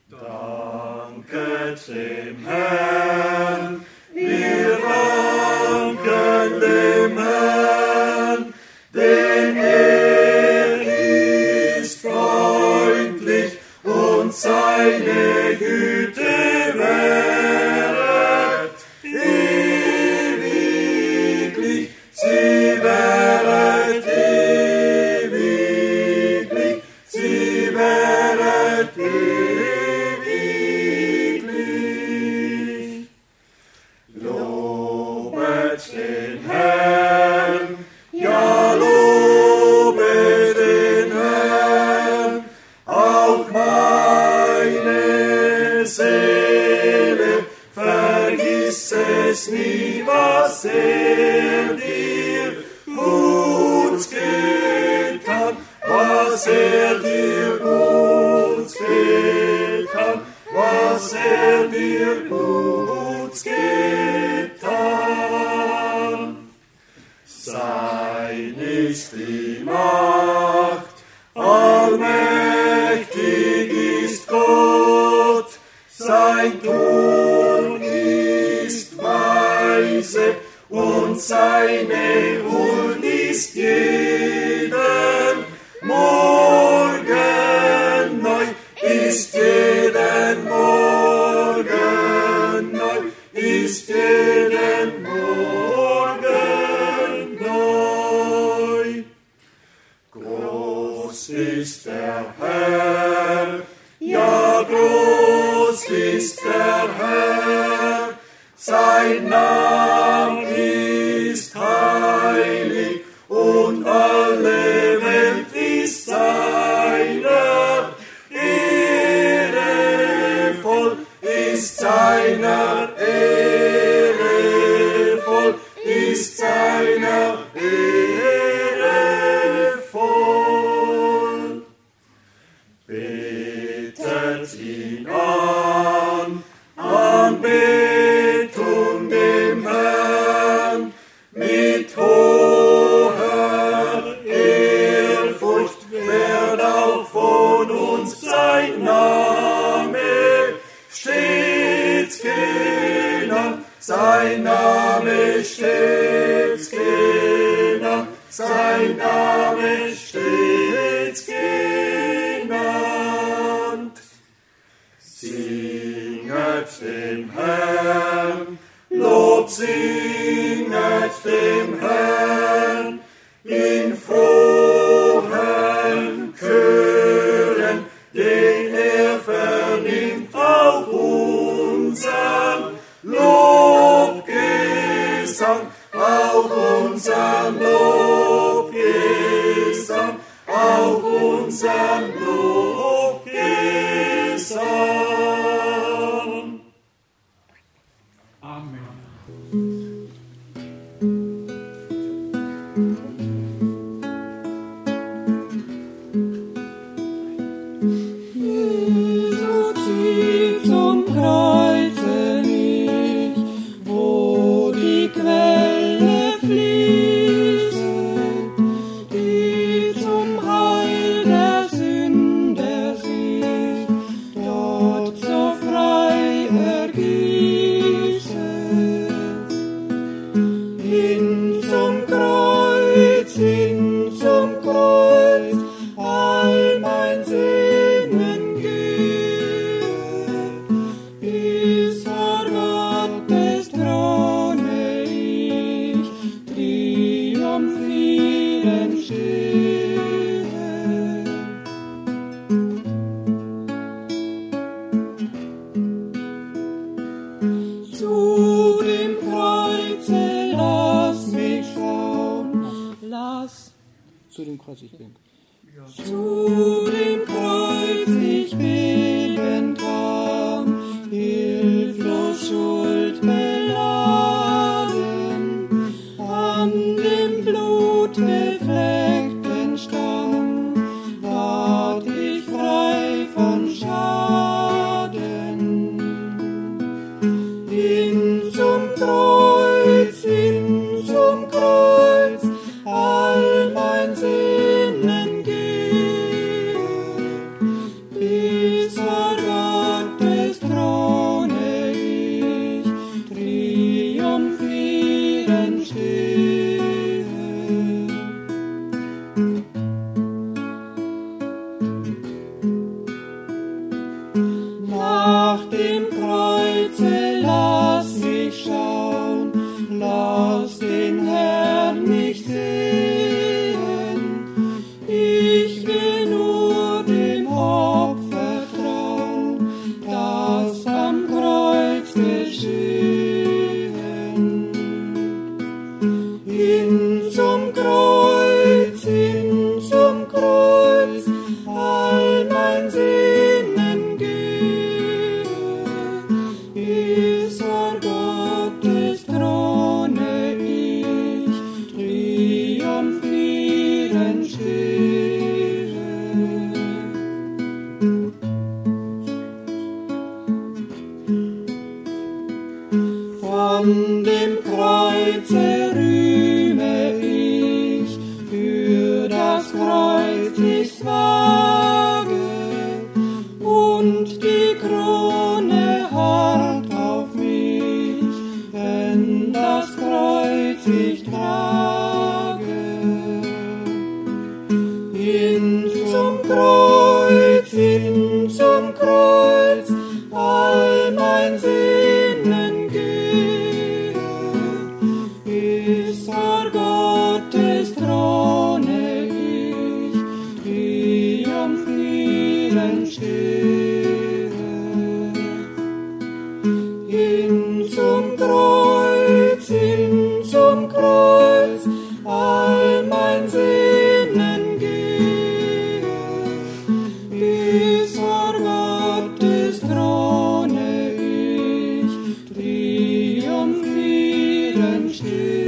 Danket dem Herrn, wir danken dem Herrn, denn er ist freundlich und seine Güte währet ewiglich, sie währet ewiglich, sie währet ewiglich. Lobet den Herrn, ja lobet den Herrn, auch meine Seele, vergiss es nie, was er dir Gutes getan, was er dir Gutes getan, was er dir Gutes getan. Sein ist die Macht, allmächtig ist Gott, sein Tun ist weise und seine Huld ist jeden Morgen neu, ist jeden Morgen neu, ist jeden Morgen neu. Groß ist der Herr, ja groß ist der Herr, sein Name ist heilig und alle Welt ist seiner Ehre voll, ist seiner Ehre voll, ist seiner Ehre voll. Betet ihn an, Anbetung dem Herrn, mit hoher Ehrfurcht wird auch von uns sein Name stets genannt, sein Name stets genannt, sein Name stets genannt. Singet dem Herrn, Lob singet dem Herrn, in frohen Chören, den er vernimmt auch unsern Lobgesang, auch unsern Lobgesang, auch unsern Lobgesang. Amen. Jesus zieht zum Kreuze mich, wo die Quelle fließt, die zum Heil der Sünder sich dort so frei ergießt. Hin zum Kreuz, all mein Sinnen gehe, bis vor Gottes Throne ich triumphierend stehe. Zu dem Kreuze lass mich schauen, Zu dem Kreuz ich bin. zu dem Kreuz ich beten kann, hilflos Schuld beladen, an dem blutbefleckten Stamm ward ich frei von Schaden. Hin zum Kreuz, all mein Sinnen geht. stehe. Hin zum Kreuz, all mein Sehnen gehe, bis vor Gottes Throne ich triumphierend stehe.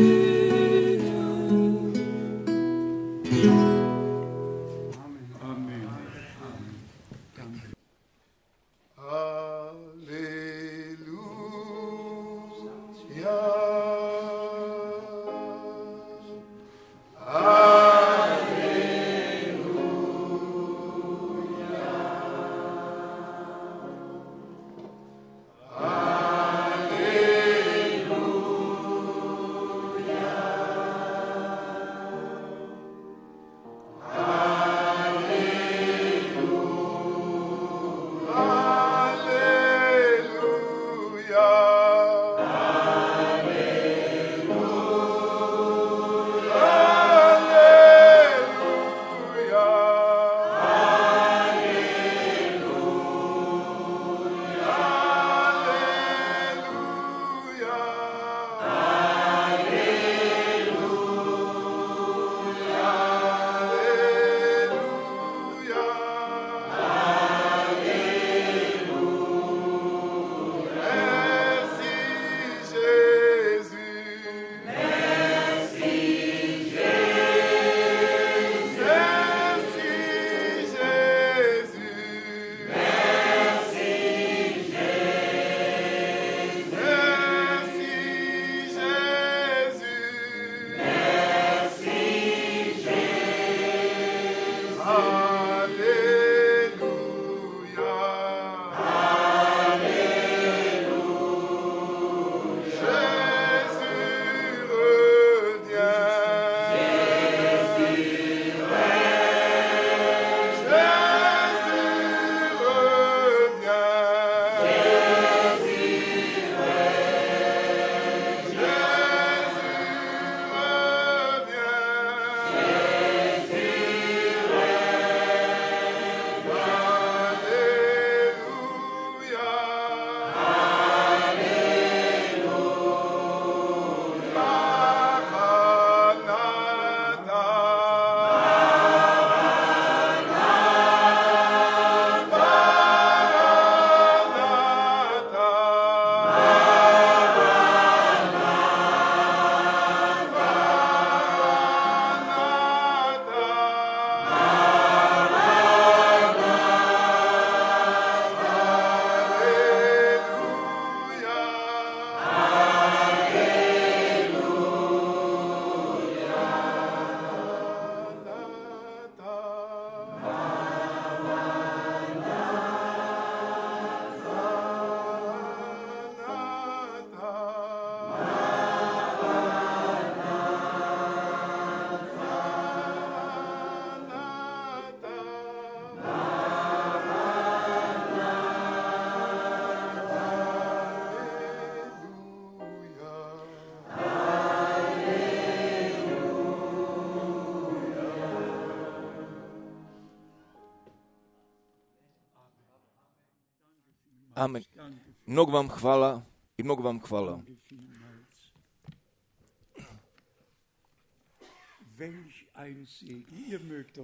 Amen. Amen. Mnogo vam hvala i mnogo vam hvala.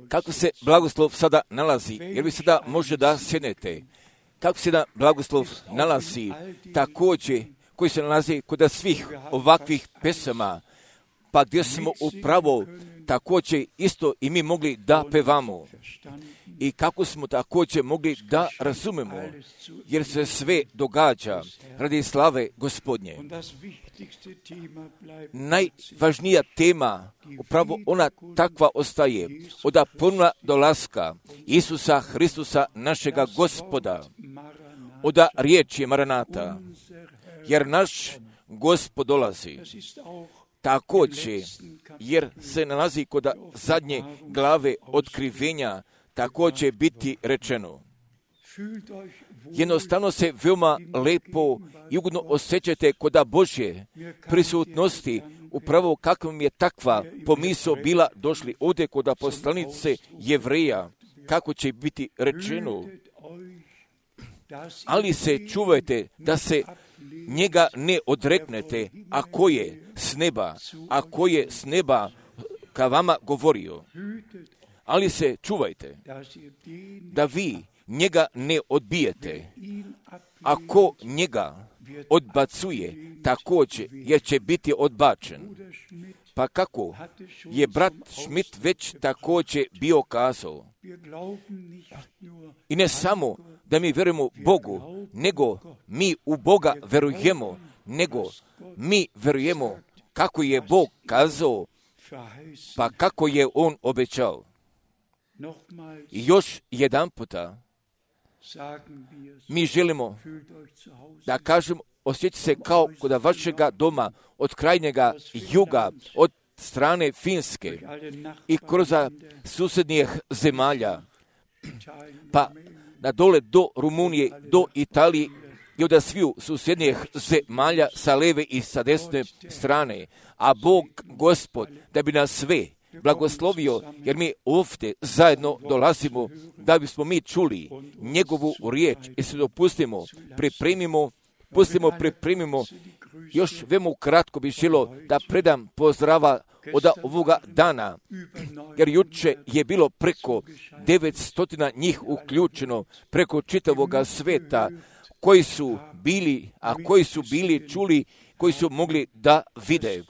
Kako se blagoslov sada nalazi, jer vi sada možete da sjednete. Kako se da blagoslov nalazi, također koji se nalazi kod svih ovakvih pesama, pa gdje smo upravo također isto i mi mogli da pevamo. I kako smo također mogli da razumemo, jer se sve događa radi slave Gospodnje. Najvažnija tema, upravo ona takva ostaje, od ponovna dolaska Isusa Hristusa, našega Gospoda, od riječi Maranata, jer naš Gospod dolazi. Također, jer se nalazi kod zadnje glave otkrivenja, također biti rečeno. Jednostavno se veoma lepo i ugodno osjećate kod Božje prisutnosti, upravo kakvom je takva pomisao bila došli ovdje kod poslanice Jevreja, kako će biti rečeno. ali se čuvajte da se njega ne odreknete, ako je s neba ka vama govorio. Ali se čuvajte da vi njega ne odbijete. Ako njega odbacuje, također jer će biti odbačen. Pa kako je brat Schmidt već također bio kazao. I ne samo da mi vjerujemo Bogu, nego mi u Boga verujemo, nego mi verujemo kako je Bog kazao, pa kako je On obećao. I još jedan puta mi želimo da kažemo, osjećate se kao kod vašega doma, od krajnjega juga, od strane Finske i kroz susjednijih zemalja, pa na dole do Rumunije, do Italije i od sviju susjednijih zemalja sa leve i sa desne strane. A Bog, Gospod, da bi nas sve blagoslovio, jer mi ovdje zajedno dolazimo da bismo mi čuli njegovu riječ i se dopustimo, pripremimo. Još veoma kratko bi želo da predam pozdrava od ovoga dana, jer juče je bilo preko 900 njih uključeno preko čitavoga sveta, koji su bili čuli, koji su mogli da vide.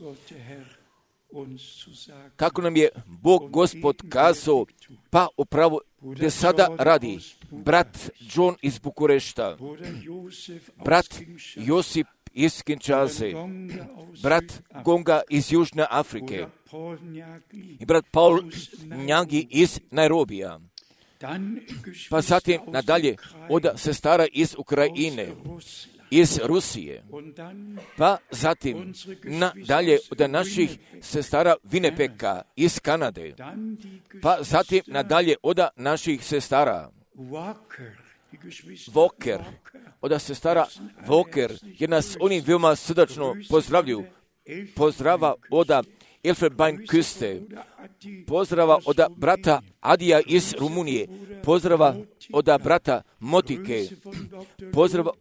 Kako nam je Bog Gospod kazao, pa upravo gdje sada radi brat John iz Bukurešta, brat Josip iz Kinshase, brat Gonga iz Južne Afrike i brat Paul Njagi iz Nairobija. Pa zatim nadalje od sestara iz Ukrajine, iz Rusije, pa zatim nadalje od naših sestara Winnipega iz Kanade, pa zatim nadalje od naših sestara Walker, od sestara Walker, jer nas oni veoma srdačno pozdravljuju. Pozdrava od Elfenbeinküste, pozdrava od brata Adija iz Rumunije, pozdrava od brata Motike, pozdrava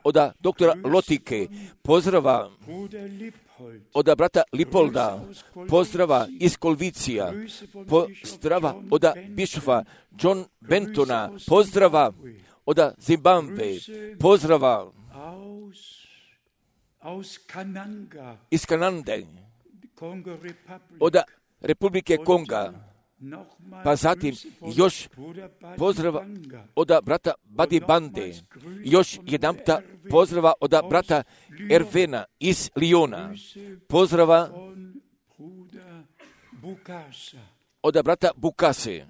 od doktora Lotike, pozdrava od brata Lipolda, pozdrava iz Kolvicija, pozdrava od bišofa John Bentona, pozdrava od Zimbabwe, pozdrava iz Kanade, od Republike Konga, pa zatim još pozdrava od brata Badi Bande, još jedanputa pozdrava od brata Ervena iz Liona, pozdrava od brata Bukase,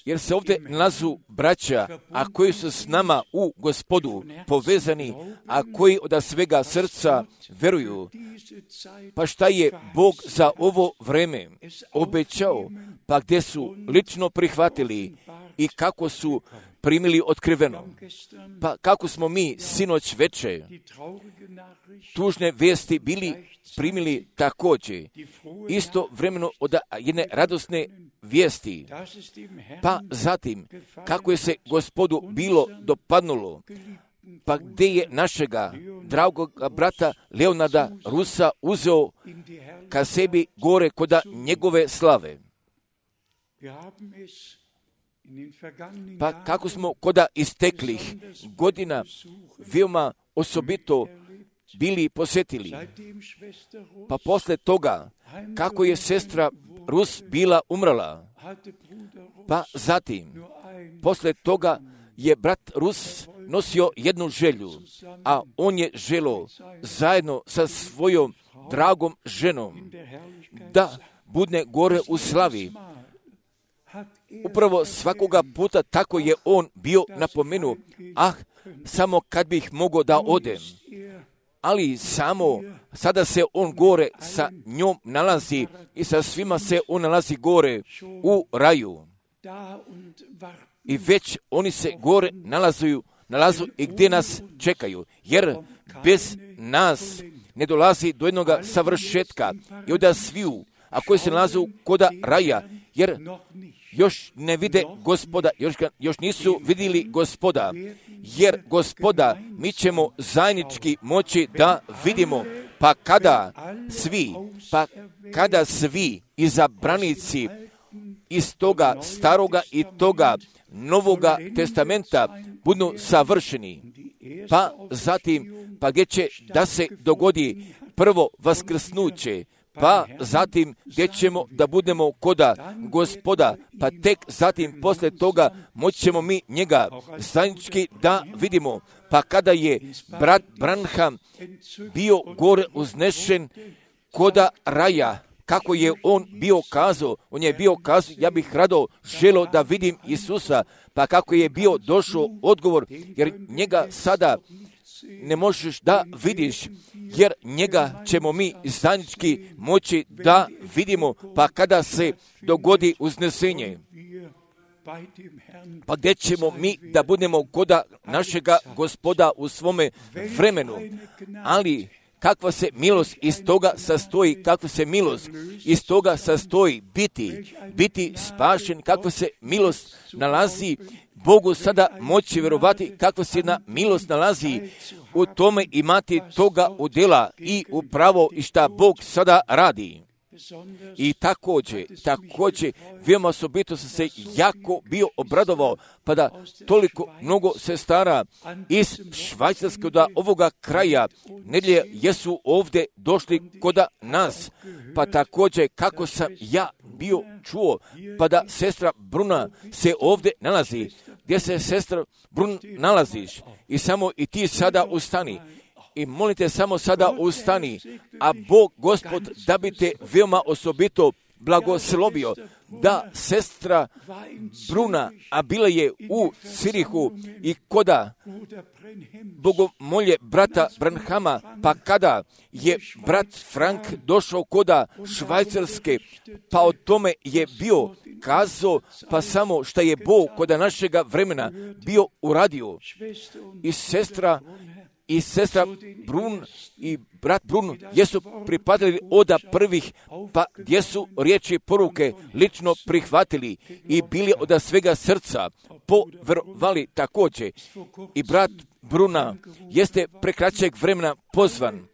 jer se ovdje nalazu braća, a koji su s nama u Gospodu povezani, a koji od svega srca veruju. Pa šta je Bog za ovo vreme obećao, pa gdje su lično prihvatili i kako su primili otkriveno. Pa kako smo mi sinoć veče tužne vijesti bili primili također, isto vremeno od jedne radosne vijesti. Pa zatim, kako je se Gospodu bilo dopadnulo, pa gdje je našega dragog brata Leonarda Rusa uzeo ka sebi gore koda njegove slave. Pa kako smo koda isteklih godina veoma osobito bili posjetili. Pa posle toga, kako je sestra Rus bila umrla, pa zatim, posle toga je brat Rus nosio jednu želju, a on je želo zajedno sa svojom dragom ženom da budne gore u slavi. Upravo svakoga puta tako je on bio napomenuo, samo kad bih mogao da odem. Ali samo sada se on gore sa njom nalazi i sa svima se on nalazi gore u raju. I već oni se gore nalazu i gdje nas čekaju, jer bez nas ne dolazi do jednog savršetka i od sviju, a koji se nalaze koda raja, jer još ne vide Gospoda, još nisu vidjeli Gospoda, jer Gospoda mi ćemo zajednički moći da vidimo, pa kada svi izabranici iz toga staroga i toga Novoga testamenta budu savršeni, pa zatim, gdje će da se dogodi prvo vaskrsnuće, pa zatim gdje ćemo da budemo koda Gospoda, pa tek zatim poslije toga moći ćemo mi njega zajednički da vidimo. Pa kada je brat Branham bio gore uznešen koda raja, kako je on bio kazao, ja bih rado želio da vidim Isusa, pa kako je bio došao odgovor, jer njega sada ne možeš da vidiš, jer njega ćemo mi zajednički moći da vidimo, pa kada se dogodi uznesenje. Pa gdje ćemo mi da budemo koda našega Gospoda u svome vremenu, ali kakva se milost iz toga sastoji, kakva se milost iz toga sastoji biti spašen, kakva se milost nalazi, Bogu sada moći vjerovati, kakva se milost nalazi u tome imati toga udjela i upravo i šta Bog sada radi. I također, veoma osobito sam se jako bio obradovao, pa da toliko mnogo sestara iz Švajcarske do ovoga kraja nedjelje jesu ovdje došli koda nas, pa također kako sam ja bio čuo, pa da sestra Bruna se ovdje nalazi, gdje se sestra Brun nalaziš i samo i ti sada ustani. I molite samo sada ustani, a Bog, Gospod, da bi te veoma osobito blagoslovio, da sestra Bruna, a bila je u Cirihu i koda bogomolje brata Branhama, pa kada je brat Frank došao koda Švajcarske, pa o tome je bio kazao, pa samo šta je Bog koda našega vremena bio uradio. I sestra Brun i brat Brun jesu pripadali od prvih, pa gdje su riječi poruke lično prihvatili i bili od svega srca povjerovali također. I brat Bruna jeste prekraćeg vremena pozvan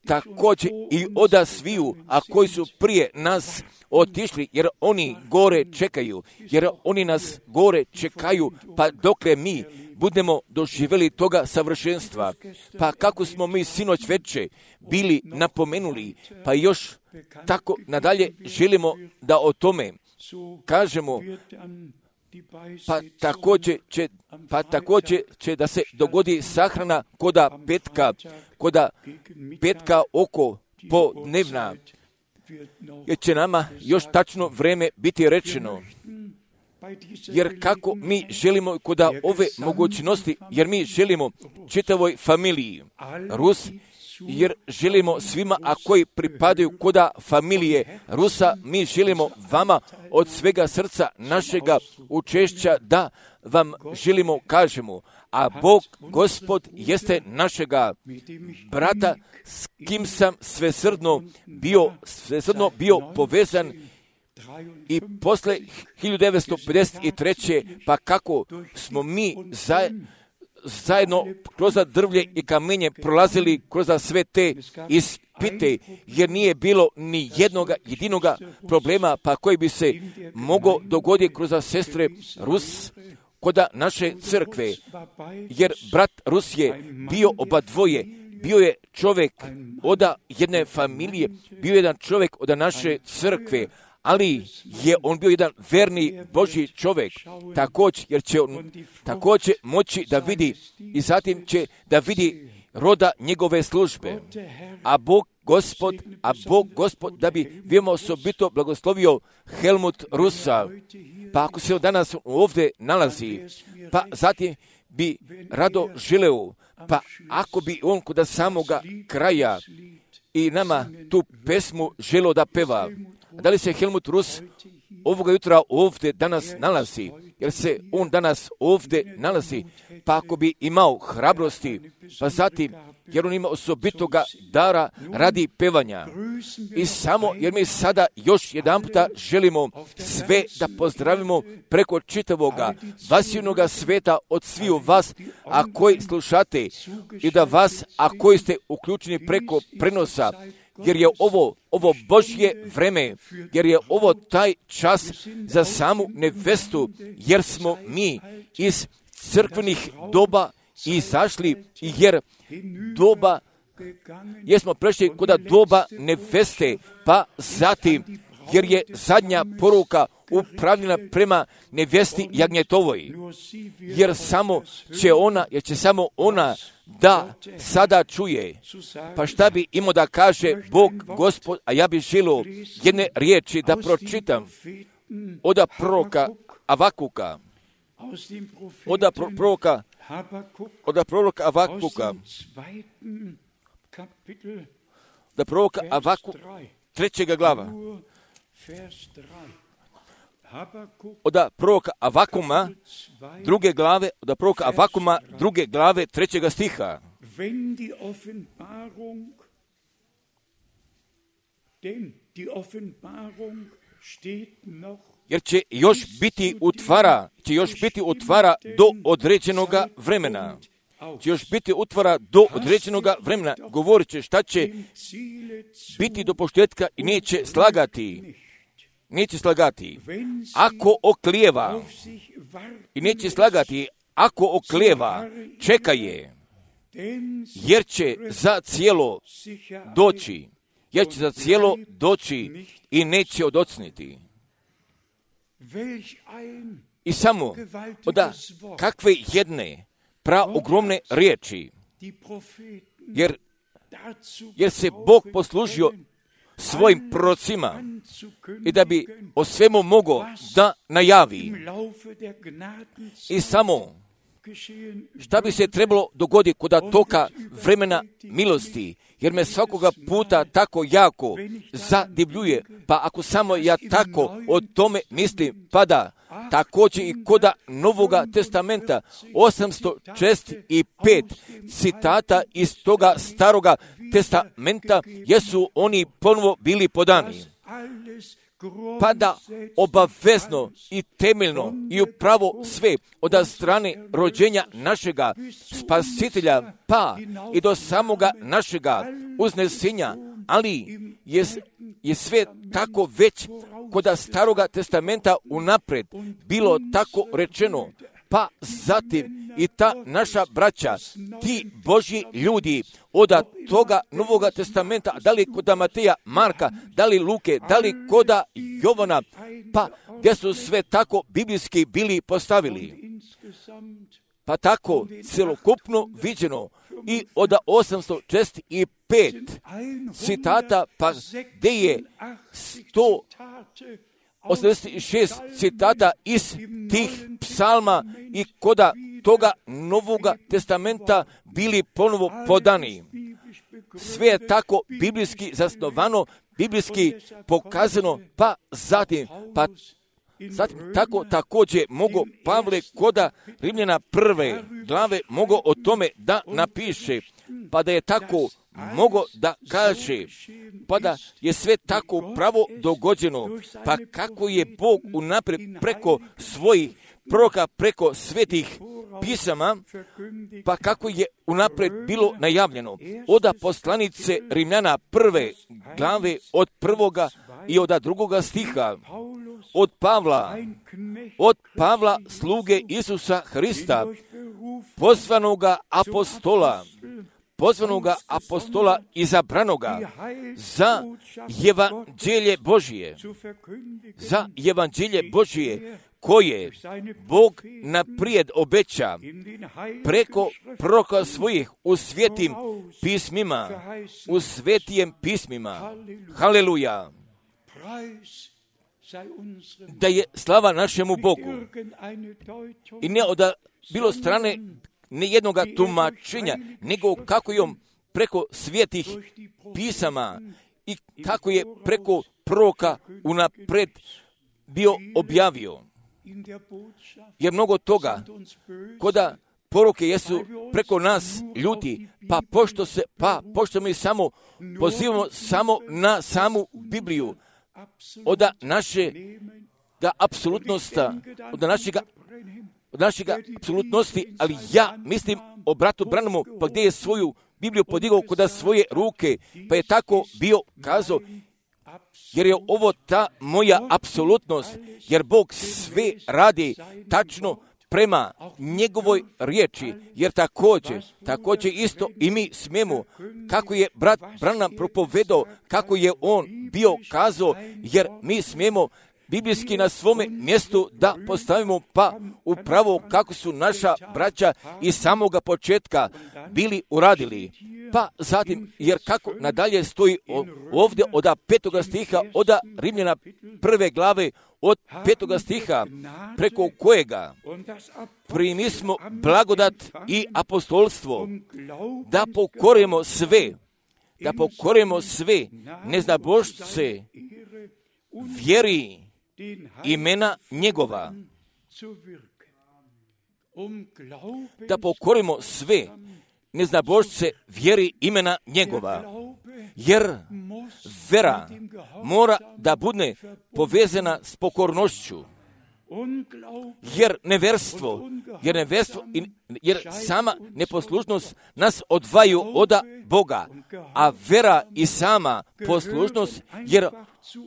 također i od sviju, a koji su prije nas otišli, jer oni gore čekaju, jer oni nas gore čekaju, pa dokle mi budemo doživjeli toga savršenstva. Pa kako smo mi sinoć veče bili napomenuli, pa još tako nadalje želimo da o tome kažemo, pa također će da se dogodi sahrana koda petka oko podnevna, jer će nama još tačno vreme biti rečeno. Jer kako mi želimo koda ove mogućnosti, jer mi želimo čitavoj familiji Rus, jer želimo svima, a koji pripadaju koda familije Rusa, mi želimo vama od svega srca našega učešća da vam želimo kažemo, a Bog, Gospod, jeste našega brata, s kim sam svesrdno bio povezan i posle 1953. pa kako smo mi zajedno kroz drvlje i kamenje prolazili kroz sve te ispite, jer nije bilo ni jedinoga problema pa koji bi se mogao dogoditi kroz sestre Rus koda naše crkve, jer brat Rus je bio oba dvoje, bio je čovjek od jedne familije, bio je jedan čovjek od naše crkve, ali je on bio jedan verni Božji čovjek, također, jer će on također moći da vidi i zatim će da vidi roda njegove službe. A Bog Gospod da bi veoma osobito blagoslovio Helmut Rusa, pa ako se on danas ovdje nalazi, pa zatim bi rado želeo, pa ako bi on kod samoga kraja i nama tu pesmu želeo da peva, da li se Helmut Rus ovoga jutra ovdje danas nalazi, jer se on danas ovdje nalazi, pa ako bi imao hrabrosti, pa zatim jer on ima osobitoga dara radi pevanja. I samo jer mi sada još jedan puta želimo sve da pozdravimo preko čitavoga vasivnoga sveta od sviju vas, a koji slušate, i da vas, a koji ste uključeni preko prenosa, jer je ovo Božje vreme, jer je ovo taj čas za samu nevestu, jer smo mi iz crkvenih doba izašli, jer smo prešli kod doba neveste, pa zatim, jer je zadnja poruka upravljena prema nevesti jagnjetovoj, jer će samo ona da sada čuje. Pa šta bi imao da kaže Bog, Gospod, a ja bih želio jedne riječi da pročitam od proroka Avakuka, od proroka Avakuka, da proroka Avakuk, 3. glava, od proroka Avakuma, 2. glave, od proroka Avakuma, 2. glave, 3. stiha. Jer će još biti utvara do određenoga vremena. Govorit će šta će biti do početka i neće slagati. Ako oklijeva, i neće slagati, ako oklijeva, čeka je, jer će za cijelo doći i neće odocniti. I samo kakve jedne ogromne riječi, jer se Bog poslužio svojim prorocima i da bi o svemu mogao da najavi. I samo šta bi se trebalo dogoditi kod toka vremena milosti, jer me svakoga puta tako jako zadivljuje, pa ako samo ja tako o tome mislim, pada također i kod Novoga testamenta 865 citata iz toga Staroga testamenta, jesu oni ponovo bili podani. Pada obavezno i temeljno i upravo sve od strane rođenja našega Spasitelja, pa i do samoga našega uznesenja, ali je sve tako već kod Staroga testamenta unapred bilo tako rečeno, pa zatim i ta naša braća, ti Božji ljudi od toga Novoga testamenta, da li kod Mateja, Marka, da li Luke, da li kod Jovana, pa gdje su sve tako biblijski bili postavili. Pa tako celokupno viđeno i od 865 citata, pa gdje je 186 citata iz tih psalma i kod toga Novoga testamenta bili ponovo podani. Sve je tako biblijski zasnovano, biblijski pokazano, pa zatim tako također mogu Pavle koda Rimljana 1. glave mogu o tome da napiše, pa da je tako mogo da kaže, pa da je sve tako pravo dogođeno, pa kako je Bog unaprijed preko svojih proroka, preko svetih pisama, pa kako je unaprijed bilo najavljeno. Od poslanice Rimljana 1. glave od 1. i od 2. stiha, od Pavla sluge Isusa Hrista, pozvanoga apostola izabranoga za evanđelje Božije, koje Bog naprijed obeća preko proroka svojih u svetim pismima. Haleluja! Da je slava našemu Bogu. I ne od bilo strane ne jednoga tumačenja, nego kako je on preko svetih pisama i kako je preko proroka unapred bio objavio. Jer mnogo toga, koda poruke jesu preko nas ljudi, pošto mi samo pozivamo samo na samu Bibliju, od našega apsolutnosta, od našega apsolutnosti, ali ja mislim o bratu Branhamu, pa gdje je svoju Bibliju podigao kod svoje ruke, pa je tako bio kazao, jer je ovo ta moja apsolutnost, jer Bog sve radi tačno prema njegovoj riječi, jer također isto i mi smijemo, kako je brat Branham propovedao, kako je on bio kazao, jer mi smijemo biblijski na svome mjestu da postavimo pa upravo kako su naša braća iz samoga početka bili uradili. Pa zatim, jer kako nadalje stoji ovdje od 5. stiha, od Rimljana 1. glave, od 5. stiha, preko kojega primismo blagodat i apostolstvo, da pokorimo sve neznabošce vjeri imena njegova, da pokorimo sve neznabošce vjeri imena njegova, jer vera mora da bude povezana s pokornošću, jer sama neposlušnost nas odvaju od Boga, a vera i sama poslušnost, jer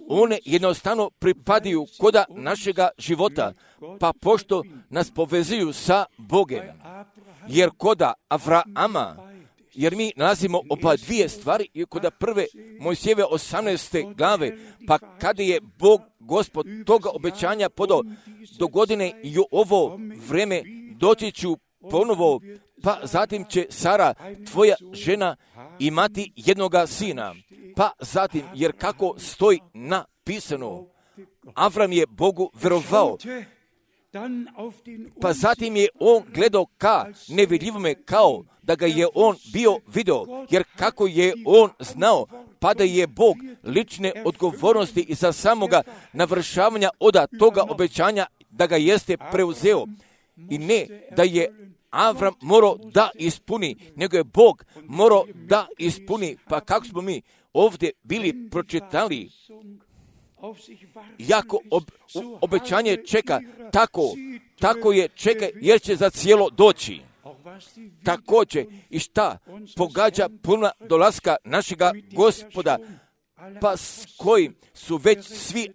one jednostavno pripadaju koda našega života, pa pošto nas povezuju sa Bogem, jer koda Avrama, jer mi nalazimo oba dvije stvari i kod prve Mojsijeve 18. glave, pa kada je Bog, Gospod, toga obećanja podao do godine i u ovo vreme doći ću ponovo, pa zatim će Sara, tvoja žena, imati jednoga sina. Pa zatim, jer kako stoji napisano, Avram je Bogu verovao, pa zatim je on gledao ka nevidljivome kao da ga je on bio video, jer kako je on znao, pa da je Bog lične odgovornosti i za samoga navršavanja od toga obećanja da ga jeste preuzeo. I ne da je Avram morao da ispuni, nego je Bog morao da ispuni. Pa kako smo mi ovdje bili pročitali, jako obećanje čeka, tako je čeka, jer će za cijelo doći. Također i šta pogađa puna dolaska našega Gospoda, pa s kojim su već svi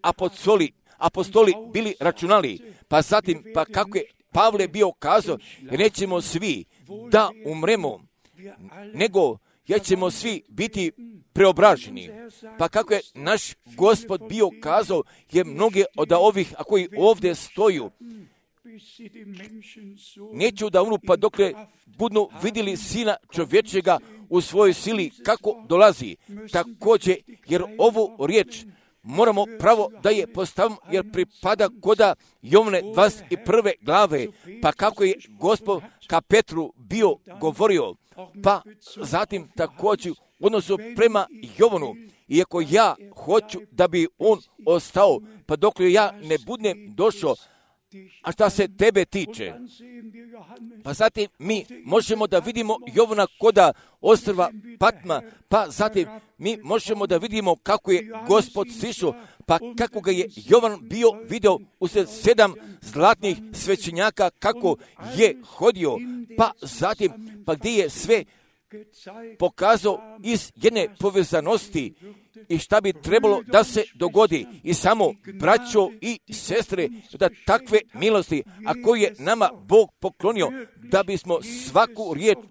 apostoli bili računali, pa zatim, pa kako je Pavle bio kazao, nećemo svi da umremo, nego jer ćemo svi biti preobraženi. Pa kako je naš Gospod bio kazao, je mnoge od ovih, a koji ovdje stoju, neću da umru pa dokle budu vidjeli Sina čovječega u svojoj sili kako dolazi. Također, jer ovu riječ moramo pravo da je postavimo, jer pripada koda Jovne 21. glave, pa kako je Gospod ka Petru bio govorio, pa zatim također u odnosu prema Jovanu, iako ja hoću da bi on ostao, pa dok ja ne budem došao, a šta se tebe tiče, pa zatim mi možemo da vidimo Jovana koda ostrva Patma, pa zatim mi možemo da vidimo kako je Gospod sišao, pa kako ga je Jovan bio video usred 7 zlatnih svećenjaka kako je hodio, pa zatim pa gdje je sve pokazao iz jedne povezanosti i šta bi trebalo da se dogodi. I samo braćo i sestre, da takve milosti, a koje je nama Bog poklonio, da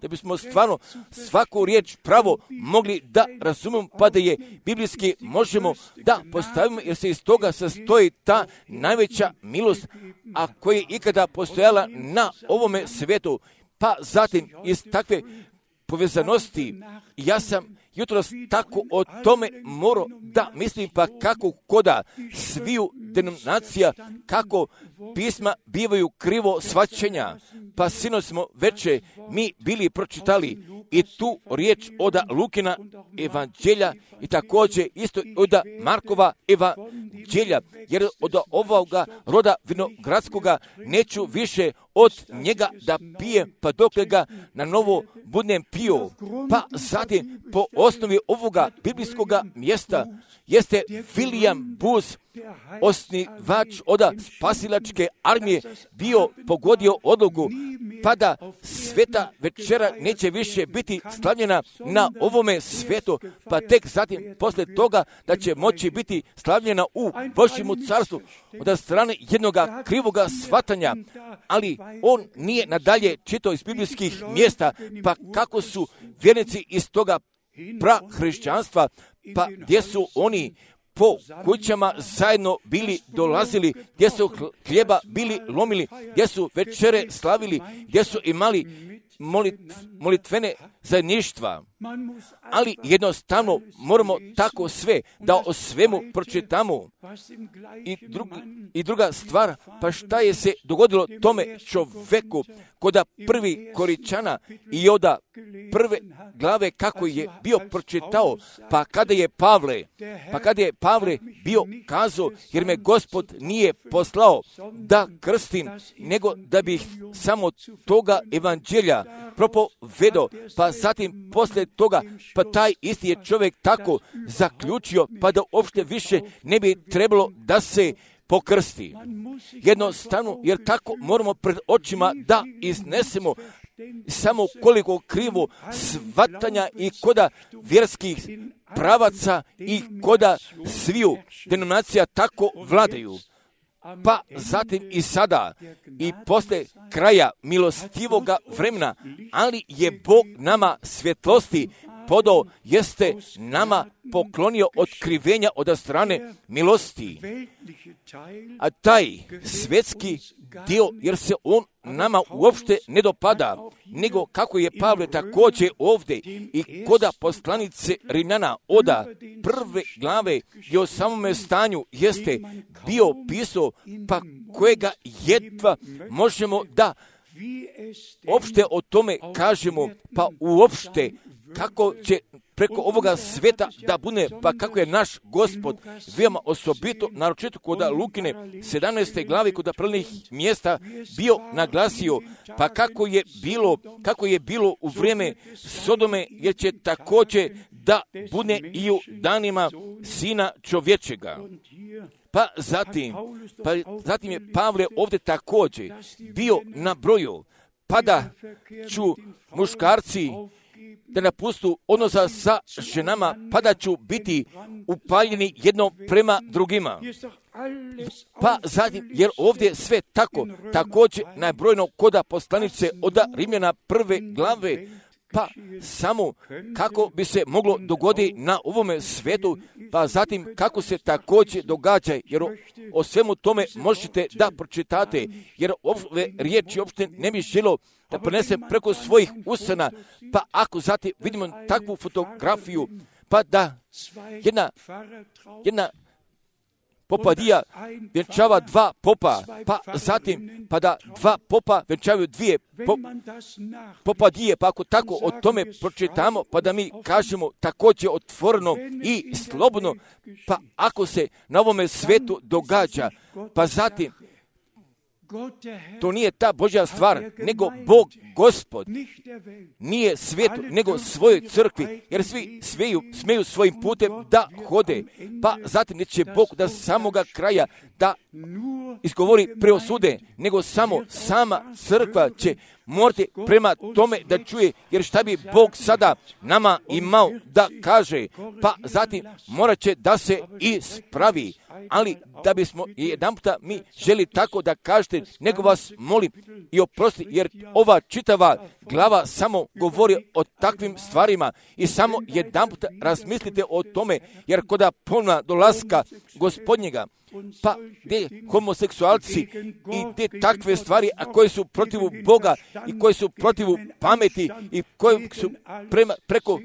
bismo stvarno svaku riječ pravo mogli da razumemo, pa da je biblijski možemo da postavimo, jer se iz toga sastoji ta najveća milost, a koja je ikada postojala na ovome svijetu. Pa zatim iz takve povezanosti, ja sam jutros tako o tome morao da mislim, pa kako koda sviju denominacija, kako pisma bivaju krivo shvaćenja, pa sinoć smo veče mi bili pročitali i tu riječ od Lukina evanđelja i također isto od Markova evanđelja, jer od ovoga roda vinogradskoga neću više od njega da pijem, pa dokle ga na novo budem pio. Pa zatim, po osnovi ovoga biblijskoga mjesta, jeste William Booth, osnivač od spasilačke armije, bio pogodio odluku, pa da sveta večera neće više biti slavljena na ovome svetu, pa tek zatim posle toga da će moći biti slavljena u Božjemu carstvu od strane jednoga krivoga shvatanja, ali on nije nadalje čitao iz biblijskih mjesta, pa kako su vjernici iz toga prahrišćanstva, pa gdje su oni po kućama zajedno bili dolazili, gdje su hljeba bili lomili, gdje su večere slavili, gdje su imali molitvene zajedništva. Ali jednostavno moramo tako sve, da o svemu pročitamo. I druga stvar, pa šta je se dogodilo tome čoveku koda prvi Koričana i od prve glave kako je bio pročitao, pa kada je Pavle bio kazao, jer me Gospod nije poslao da krstim, nego da bih samo toga evanđelja propovedao, pa zatim posle toga, pa taj isti je čovjek tako zaključio, pa da uopšte više ne bi trebalo da se pokrsti. Jednostavno, jer tako moramo pred očima da iznesemo samo koliko krivo shvatanja i koda vjerskih pravaca i koda sviju denominacija tako vladaju. Pa zatim i sada i posle kraja milostivoga vremena, ali je Bog nama svjetlosti podao, jeste nama poklonio otkrivenja od strane milosti. A taj svjetski dio, jer se on nama uopšte ne dopada, nego kako je Pavle također ovdje i koda poslanice Rimljana oda prve glave i o samome stanju jeste bio pisao, pa kojega jedva možemo da uopšte o tome kažemo, pa uopšte kako će preko ovoga sveta da bude, pa kako je naš Gospod veoma osobito, naročito kod Lukine 17. glavi kod prvih mjesta bio naglasio, pa kako je bilo u vrijeme Sodome, jer će također da bude i u danima Sina čovječega. Pa zatim je Pavle ovdje također bio na broju, pa da ću muškarci da napustu odnosa sa ženama, pa da ću biti upaljeni jedno prema drugima. Pa zatim, jer ovdje sve tako, također nabrojeno koda poslanice od Rimljana prve glave, pa samo kako bi se moglo dogoditi na ovome svetu, pa zatim kako se također događa, jer o svemu tome možete da pročitate, jer ove riječi uopšte ne bi želo da prenese preko svojih usana, pa ako zatim vidimo takvu fotografiju, pa da jedna popadija vjenčava dva popa, pa zatim pa da dva popa vjenčavaju dvije popadije, pa ako tako o tome pročitamo, pa da mi kažemo također otvoreno i slobodno, pa ako se na ovome svetu događa, pa zatim to nije ta Božja stvar, nego Bog Gospod nije svijetu, nego svojoj crkvi, jer svi smeju svojim putem da hode, pa zatim neće Bog da samoga kraja da izgovori preosude, nego samo sama crkva će morati prema tome da čuje, jer šta bi Bog sada nama imao da kaže, pa zatim morat će da se ispravi, ali da bismo jedanputa mi želi tako da kažete, nego vas molim i oprosti, jer ova čitava glava samo govori o takvim stvarima i samo jedanputa razmislite o tome, jer koda ponovna dolaska Gospodnjega, pa gdje homoseksualci i te takve stvari, a koje su protivu Boga i koje su protivu pameti i koje su preko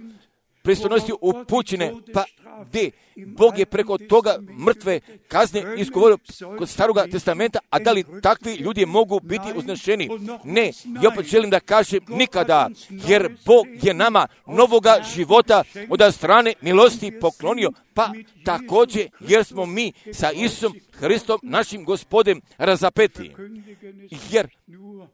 pristojnosti upućene, pa gdje Bog je preko toga mrtve kazne izgovorio kod Staroga testamenta, a da li takvi ljudi mogu biti uznešeni? Ne, ja opet želim da kažem nikada, jer Bog je nama novoga života od strane milosti poklonio, pa također jer smo mi sa Isusom Hristom, našim Gospodem, razapeti. Jer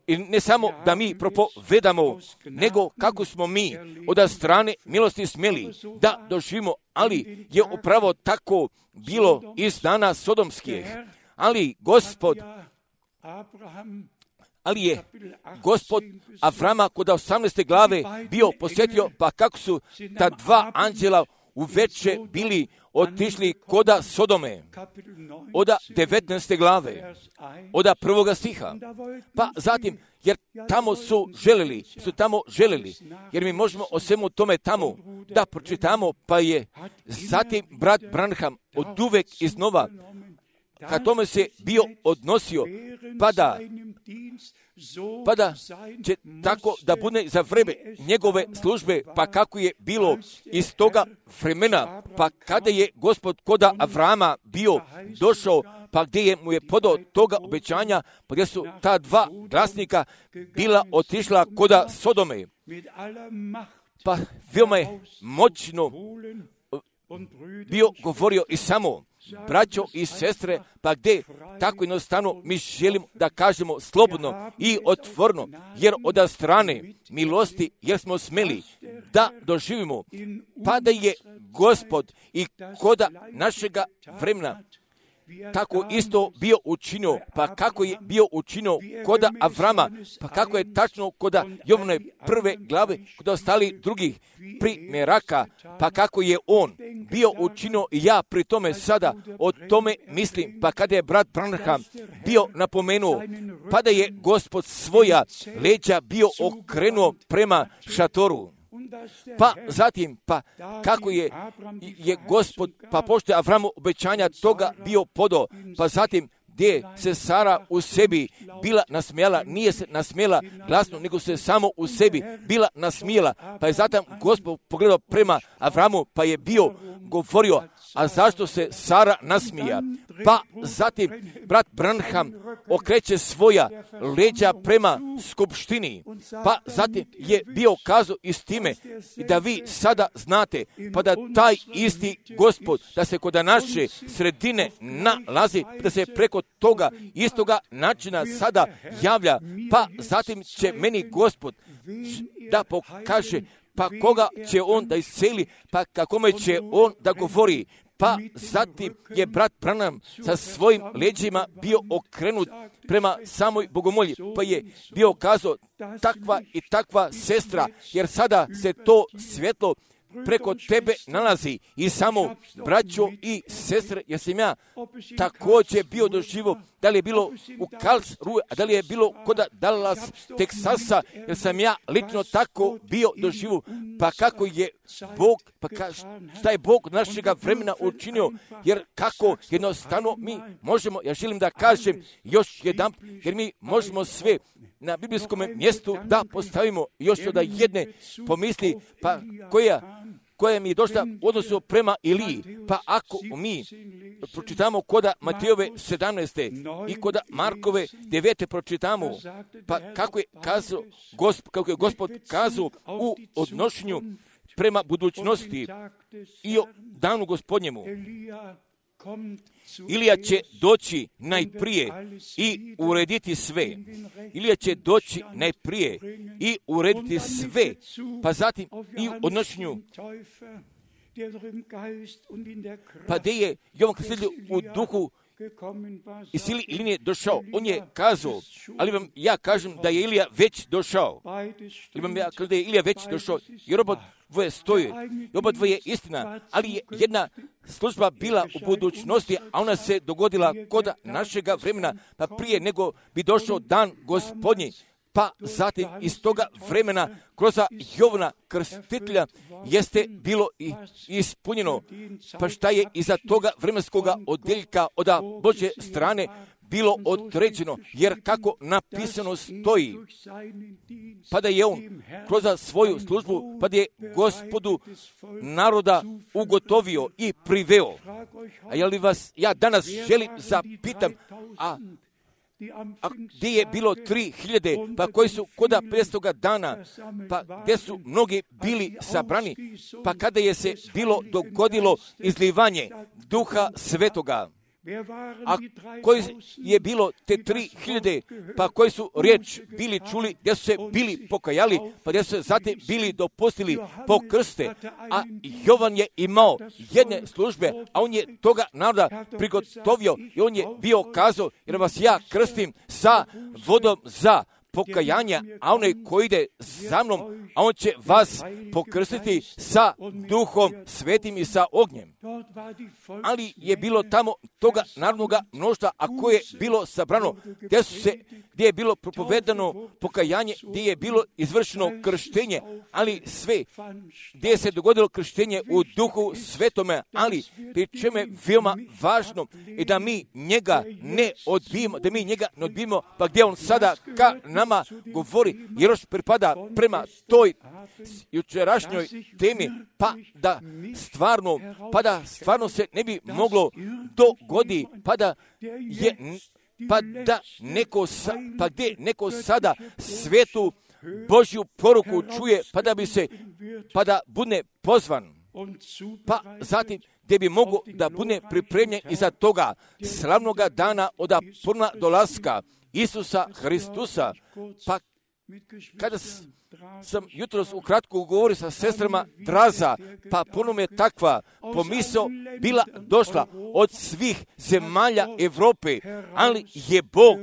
ne samo da mi propovedamo, nego kako smo mi od strane milosti smjeli da doživimo, ali je upravo tako bilo iz dana sodomskih. Ali je Gospod Avrama kod 18. glave bio posjetio, pa kako su ta dva anđela uveče bili otišli koda Sodome, od 19. glave, od 1. stiha. Pa zatim, jer su tamo želeli, jer mi možemo o svemu tome tamo da pročitamo, pa je zatim brat Branham od uvek iznova ka tome se bio odnosio, pa da će tako da bude za vreme njegove službe, pa kako je bilo iz toga vremena, pa kada je Gospod koda Avrama bio došao, pa gdje je mu je podao toga obećanja, pa gdje su ta dva glasnika bila otišla koda Sodome. Pa veoma je moćno bio govorio i samo, braćo i sestre, pa gdje tako jednostavno mi želimo da kažemo slobodno i otvorno, jer od strane milosti, jer smo smeli da doživimo, pa da je Gospod i koda našega vremena tako isto bio učinio, pa kako je bio učinio koda Avrama, pa kako je tačno koda Jovane 1. glave, kod ostali drugih primjeraka, pa kako je on bio učinio i ja pri tome sada o tome mislim, pa kada je brat Branham bio napomenuo, pa da je Gospod svoja leđa bio okrenuo prema šatoru. Pa zatim, pa kako je Gospod, pa pošto je Avramu obećanja toga bio podao, pa zatim gdje se Sara u sebi bila nasmijala, nije se nasmijala glasno, nego se samo u sebi bila nasmijala, pa je zatim Gospod pogledao prema Avramu, pa je bio govorio, a zašto se Sara nasmija? Pa zatim brat Branham okreće svoja leđa prema skupštini, pa zatim je bio kazao i s time da vi sada znate, pa da taj isti Gospod, da se kod naše sredine nalazi, da se preko toga istoga načina sada javlja, pa zatim će meni Gospod da pokaže, pa koga će on da isceli, pa kakome će on da govori. Pa zatim je brat Branham sa svojim leđima bio okrenut prema samoj bogomolji, pa je bio kazao takva i takva sestra, jer sada se to svjetlo preko tebe nalazi i samo braćo i sestre, jer sam ja također bio doživo, da li je bilo u Karlsruhe, a da li je bilo kod Dallas, Teksasa, jer sam ja lično tako bio doživo, pa kako je Bog, pa šta je Bog našega vremena učinio, jer kako jednostavno mi možemo, ja želim da kažem još jedan, jer mi možemo sve na biblijskom mjestu da postavimo još od jedne pomisli, pa koja mi je došla u odnosu prema Iliji. Pa ako mi pročitamo koda Matejove 17. i koda Markove 9. pročitamo, pa kako je Gospod kazao u odnošenju prema budućnosti i o danu Gospodnjemu. Ilija će doći najprije i urediti sve. Ilija će doći najprije i urediti sve. Pa zatim i u odnošenju, pa gdje je Jovan Krstitelj u duhu i sili Ilije nije došao. On je kazao, ali vam ja kažem da je Ilija već došao. Ali vam ja kažem da je Ilija već došao, jer oba dvoje stoje. I oba dvoje je istina, ali je jedna služba bila u budućnosti, a ona se dogodila kod našega vremena, pa prije nego bi došao dan Gospodnji. Pa zatim iz toga vremena kroz Jovana Krstitelja jeste bilo i ispunjeno. Pa šta je iza toga vremenskoga odjeljka od Božje strane bilo određeno, jer kako napisano stoji, pa da je on kroz svoju službu, pa da je Gospodu naroda ugotovio i priveo. A je li vas ja danas želim zapitam, a gdje je bilo 3000, pa koji su koda 500 dana, pa gdje su mnogi bili sabrani, pa kada je se bilo dogodilo izlivanje Duha Svetoga, a koji je bilo te 3000, pa koji su riječ bili čuli, gdje su se bili pokajali, pa gdje su se zatim bili dopustili po krste, a Jovan je imao jedne službe, a on je toga naroda prigotovio i on je bio kazao, jer vas ja krstim sa vodom za pokajanja, a onaj koji ide za mnom, a on će vas pokrstiti sa Duhom Svetim i sa ognjem. Ali je bilo tamo toga narodnoga mnoštva, a koje je bilo sabrano, gdje je bilo propovedano pokajanje, gdje je bilo izvršeno krštenje, ali sve, gdje se dogodilo krštenje u Duhu Svetome, ali pri čemu je veoma važno i da mi njega ne odbijemo, pa gdje on sada ka nama govori, jer još pripada prema toj jučerašnjoj temi, pa da stvarno se ne bi moglo dogodi, gdje neko sada svetu Božju poruku čuje, pa da bude pozvan, pa zatim gdje bi mogo da bude pripremljen iza toga slavnoga dana od puna dolaska Isusa Hristusa. Pa kada sam jutros ukratko govorio sa sestrama Draza, pa ponovno je takva pomisao bila došla od svih zemalja Europe, ali je Bog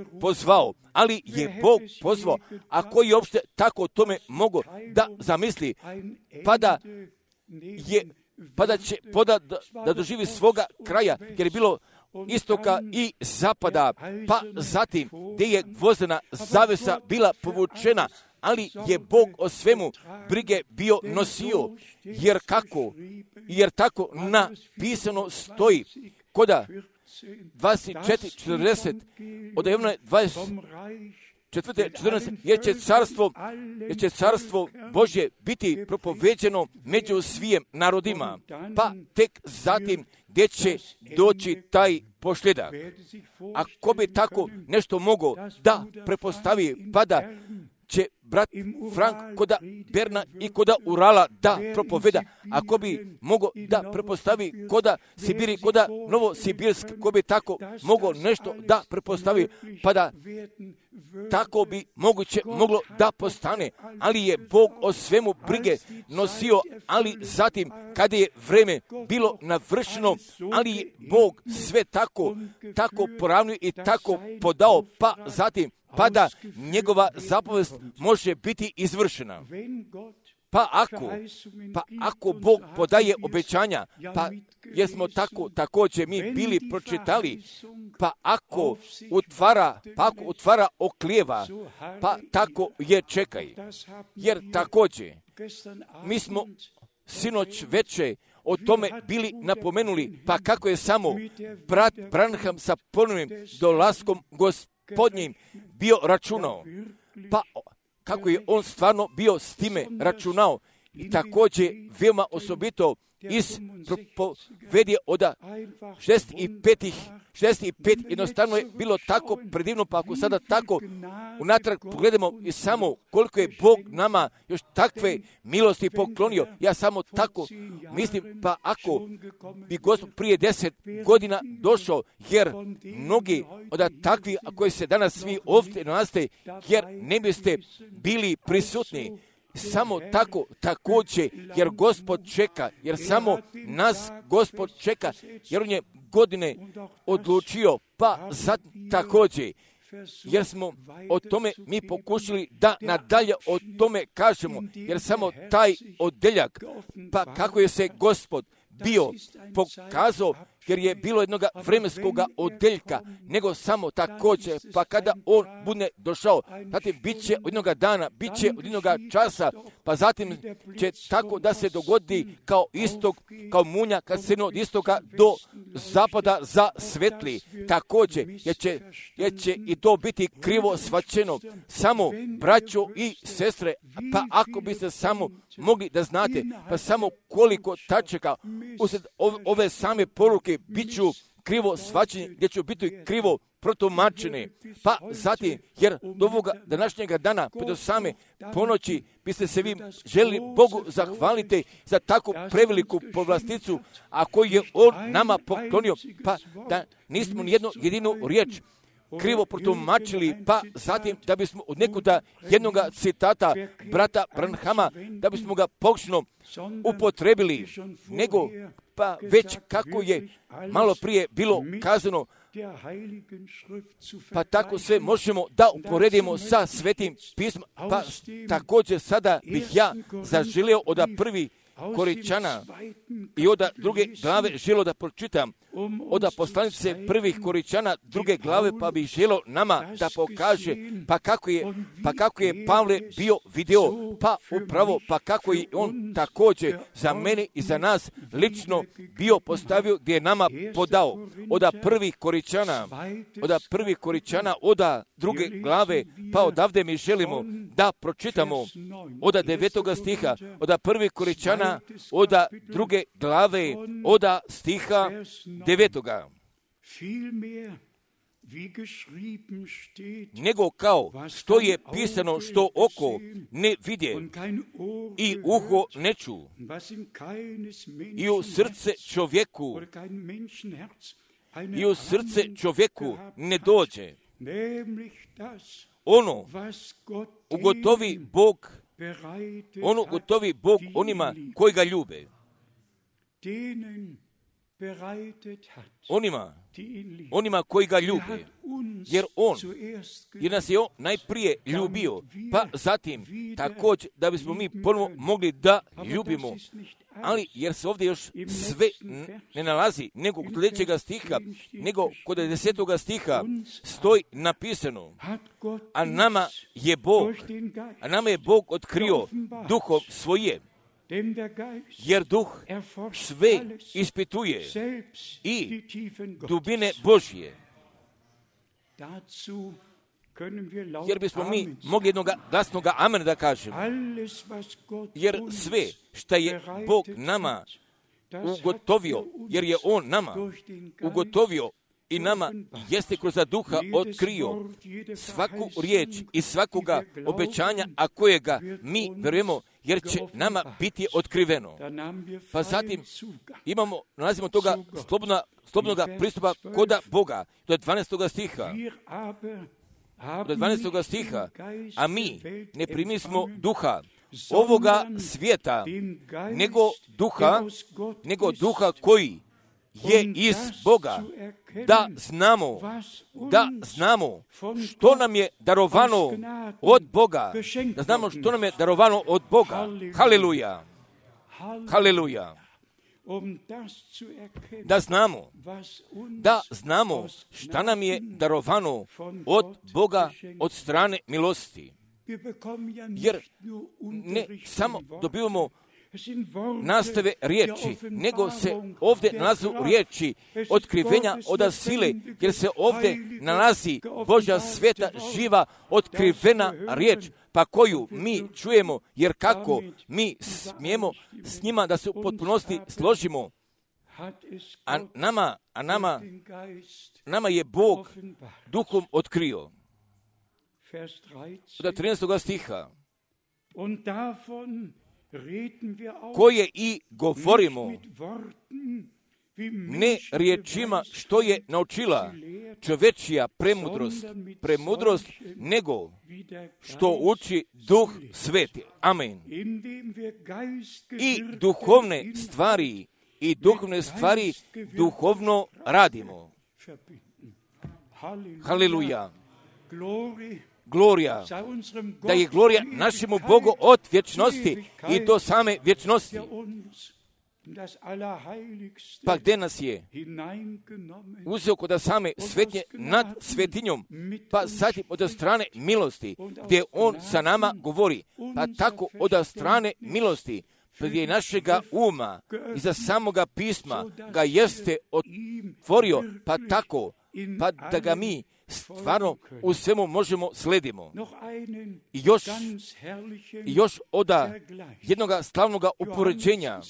pozvao, a koji je uopšte tako o tome mogo da zamisli, da doživi svoga kraja, jer je bilo istoka i zapada, pa zatim gdje je gvozdena zavesa bila povučena, ali je Bog o svemu brige bio nosio, jer tako napisano stoji koda 24:40 od Jovana 24:14, jer će carstvo Božje biti propoveđeno među svim narodima, pa tek zatim gdje će doći taj pošljedak. Ako bi tako nešto mogo da prepostavi, pa da će brat Frank koda Berna i koda Urala da propoveda, ako bi mogo da prepostavi koda Sibiri, koda Novosibirsk, ko bi tako mogo nešto da prepostavi, pa da tako bi moglo da postane, ali je Bog o svemu brige nosio, ali zatim kada je vreme bilo navršeno, ali je Bog sve tako poravnio i tako podao, pa zatim pa da njegova zapovest može biti izvršena. Pa ako Bog podaje obećanja, pa jesmo također mi bili pročitali, pa ako utvara oklijeva, pa tako je čekaj. Jer također mi smo sinoć veče o tome bili napomenuli, pa kako je samo brat Branham sa ponovnim dolaskom Gospodnjim bio računao, pa kako je on stvarno bio s time računao, i također veoma osobito iz propovedi od 65 jednostavno je bilo tako predivno, pa ako sada tako unatrag pogledamo i samo koliko je Bog nama još takve milosti poklonio, ja samo tako mislim, pa ako bi Gospod prije 10 godina došao, jer mnogi od takvih, a koji se danas svi ovdje nalaze, jer ne biste bili prisutni, samo tako također, jer Gospod čeka, jer samo nas Gospod čeka, jer on je godine odlučio, pa sad također, jer smo o tome mi pokušali da nadalje o tome kažemo, jer samo taj odeljak, pa kako je se Gospod bio pokazao, jer je bilo jednog vremenskog odeljka, nego samo također, pa kada on bude došao, zatim bit će od jednog dana, bit će od jednog časa, pa zatim će tako da se dogodi kao istok, kao munja, kad se od istoka do zapada zasvetli. Također, jer će i to biti krivo shvaćeno. Samo, braćo i sestre, pa ako biste samo mogli da znate, pa samo koliko tačaka usred ove same poruke bit ću krivo shvaćeni, gdje ću biti krivo protumačeni. Pa zatim, jer do ovoga današnjega dana, pa do same ponoći, biste se vi želi Bogu zahvaliti za takvu preveliku povlasticu, a koju je On nama poklonio, pa da nismo ni jednu jedinu riječ krivo protumačili, pa zatim da bismo od nekuda jednog citata brata Branhama, da bismo ga pogrešno upotrebili, nego pa već kako je malo prije bilo kazano, pa tako sve možemo da uporedimo sa Svetim pismom, pa također sada bih ja zaželio od prvi Korinčana i od druge glave želio da pročitam od poslanice prvih Korinčana druge glave, pa bih želio nama da pokaže pa kako je Pavle bio video, pa upravo pa kako je on također za mene i za nas lično bio postavio, gdje je nama podao od prvih Korinčana od druge glave, pa odavde mi želimo da pročitamo od 9. stiha, od prvih Korinčana od druge glave, od stiha 9. Nego kao što je pisano, što oko ne vidje i uho ne ču i u srce čovjeku ne dođe, ono ugotovi Bog onima koji ga ljube. Onima koji ga ljube, jer nas je on najprije ljubio, pa zatim također da bismo mi ponovo mogli da ljubimo, ali jer se ovdje još sve ne nalazi, nego kod sljedećega stiha, nego kod 10. stiha stoji napisano, a nama je Bog otkrio duhom svoje, jer duh sve ispituje i dubine Božje. Jer bismo mi mogli jednog glasnog amen da kažemo. Jer sve što je Bog nama ugotovio, jer je On nama ugotovio i nama jeste kroz duha otkrio svaku riječ i svakoga obećanja, a kojega mi verujemo, jer će nama biti otkriveno. Pa zatim nalazimo toga slobodnog pristupa koda Boga. Do 12. stiha. A mi ne primismo duha ovoga svijeta, nego duha koji je iz Boga, da znamo što nam je darovano od Boga, Haleluja. Da znamo šta nam je darovano od Boga od strane milosti. Jer ne samo dobivamo nastave riječi, nego se ovdje nalazu riječi otkrivenja od sile, jer se ovdje nalazi Božja sveta, živa, otkrivena riječ, pa koju mi čujemo, jer kako mi smijemo s njima da se u potpunosti složimo. A nama je Bog duhom otkrio. Od 13. stiha. Koje i govorimo ne riječima što je naučila čovečija premudrost, nego što uči Duh Sveti. Amen. I duhovne stvari duhovno radimo. Haleluja. Glorija, da je glorija našemu Bogu od vječnosti i do same vječnosti. Pa gdje nas je uzeo kod same svetnje nad svetinjom, pa zatim od strane milosti, gdje on sa nama govori, pa tako od strane milosti, gdje našega uma i za samoga pisma ga jeste otvorio, pa tako, pa da ga mi stvarno u svemu možemo sledimo. I još od jednoga slavnoga upoređenja,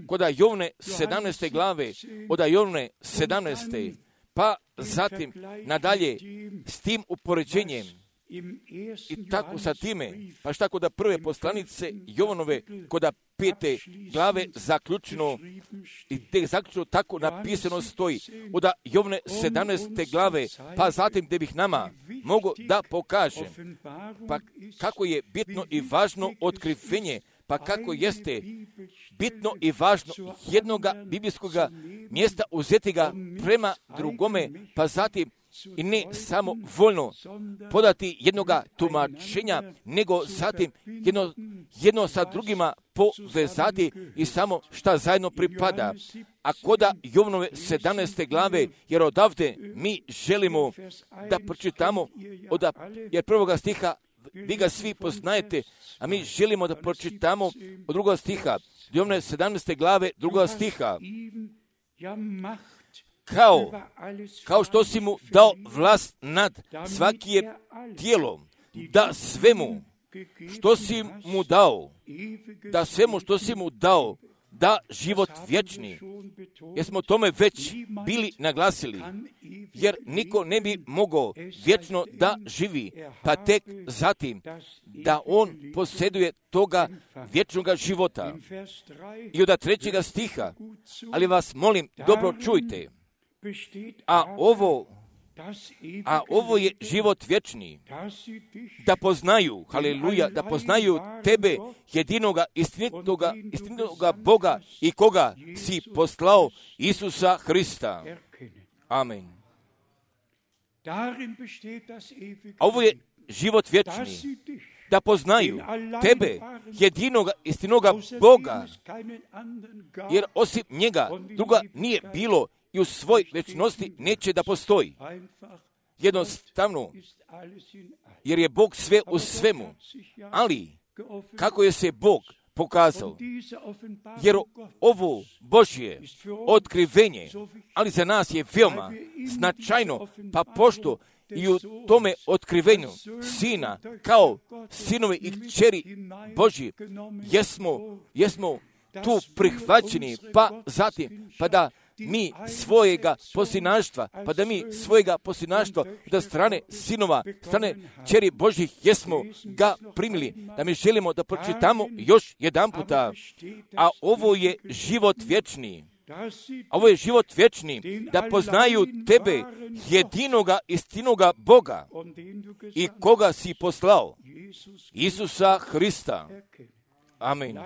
kod Jovne 17. glave, od Jovne 17. pa zatim nadalje s tim upoređenjem, i tako sa time, pa šta kod prve poslanice Jovanove, kod 5. glave zaključeno, i te zaključeno tako napisano stoji, od Jovne 17. glave, pa zatim gdje bih nama mogo da pokažem, pa kako je bitno i važno otkrivenje, pa kako jeste bitno i važno jednoga biblijskog mjesta uzeti ga prema drugome, pa zatim i ne samo voljno podati jednoga tumačenja, nego zatim jedno sa drugima povezati i samo šta zajedno pripada. A koda Jovnove 17. glave, jer odavde mi želimo da pročitamo, jer prvoga stiha vi ga svi poznajete, a mi želimo da pročitamo od drugog stiha, Jovne 17. glave, drugog stiha. Kao što si mu dao vlast nad svakim tijelom, da svemu što si mu dao, da život vječni. Jer smo tome već bili naglasili, jer niko ne bi mogao vječno da živi, pa tek zatim da on posjeduje toga vječnog života. I od 3. stiha, ali vas molim, dobro čujte, a ovo je život vječni, da poznaju, haleluja, da poznaju tebe, jedinoga, istinitoga Boga i koga si poslao, Isusa Hrista. Amen. A ovo je život vječni, da poznaju tebe, jedinoga, istinoga Boga, jer osim njega druga nije bilo i u svoj vječnosti neće da postoji. Jednostavno, jer je Bog sve u svemu. Ali, kako je se Bog pokazao? Jer ovo Božje otkrivenje, ali za nas je veoma značajno, pa pošto i u tome otkrivenju Sina, kao sinovi i kćeri Božji, jesmo tu prihvaćeni, pa zatim, pa da mi svojega posinaštva da strane sinova, strane kćeri Božjih jesmo ga primili, da mi želimo da pročitamo još jedan puta. A ovo je život vječni. Ovo je život vječni, da poznaju tebe, jedinoga, istinoga Boga i koga si poslao, Isusa Hrista. Amen.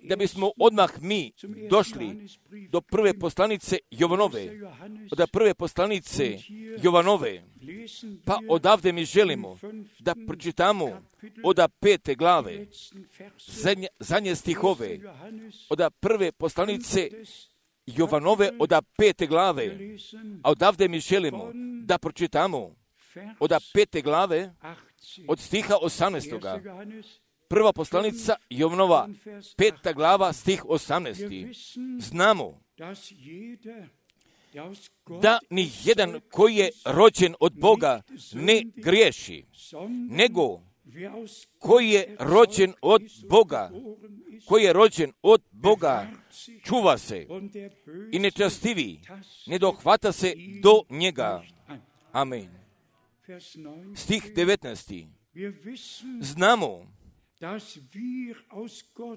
Da bismo odmah mi došli do prve poslanice Jovanove, od prve poslanice Jovanove, pa odavde mi želimo da pročitamo od 5. glave, zadnje stihove, od prve poslanice Jovanove, od 5. glave, a odavde mi želimo da pročitamo od 5. glave, od stiha 18. Prva poslanica Jovanova, 5. glava, stih 18. Znamo da ni jedan koji je rođen od Boga ne griješi, nego koji je rođen od Boga, čuva se i nečastivi, ne dohvata se do njega. Amen. Stih 19.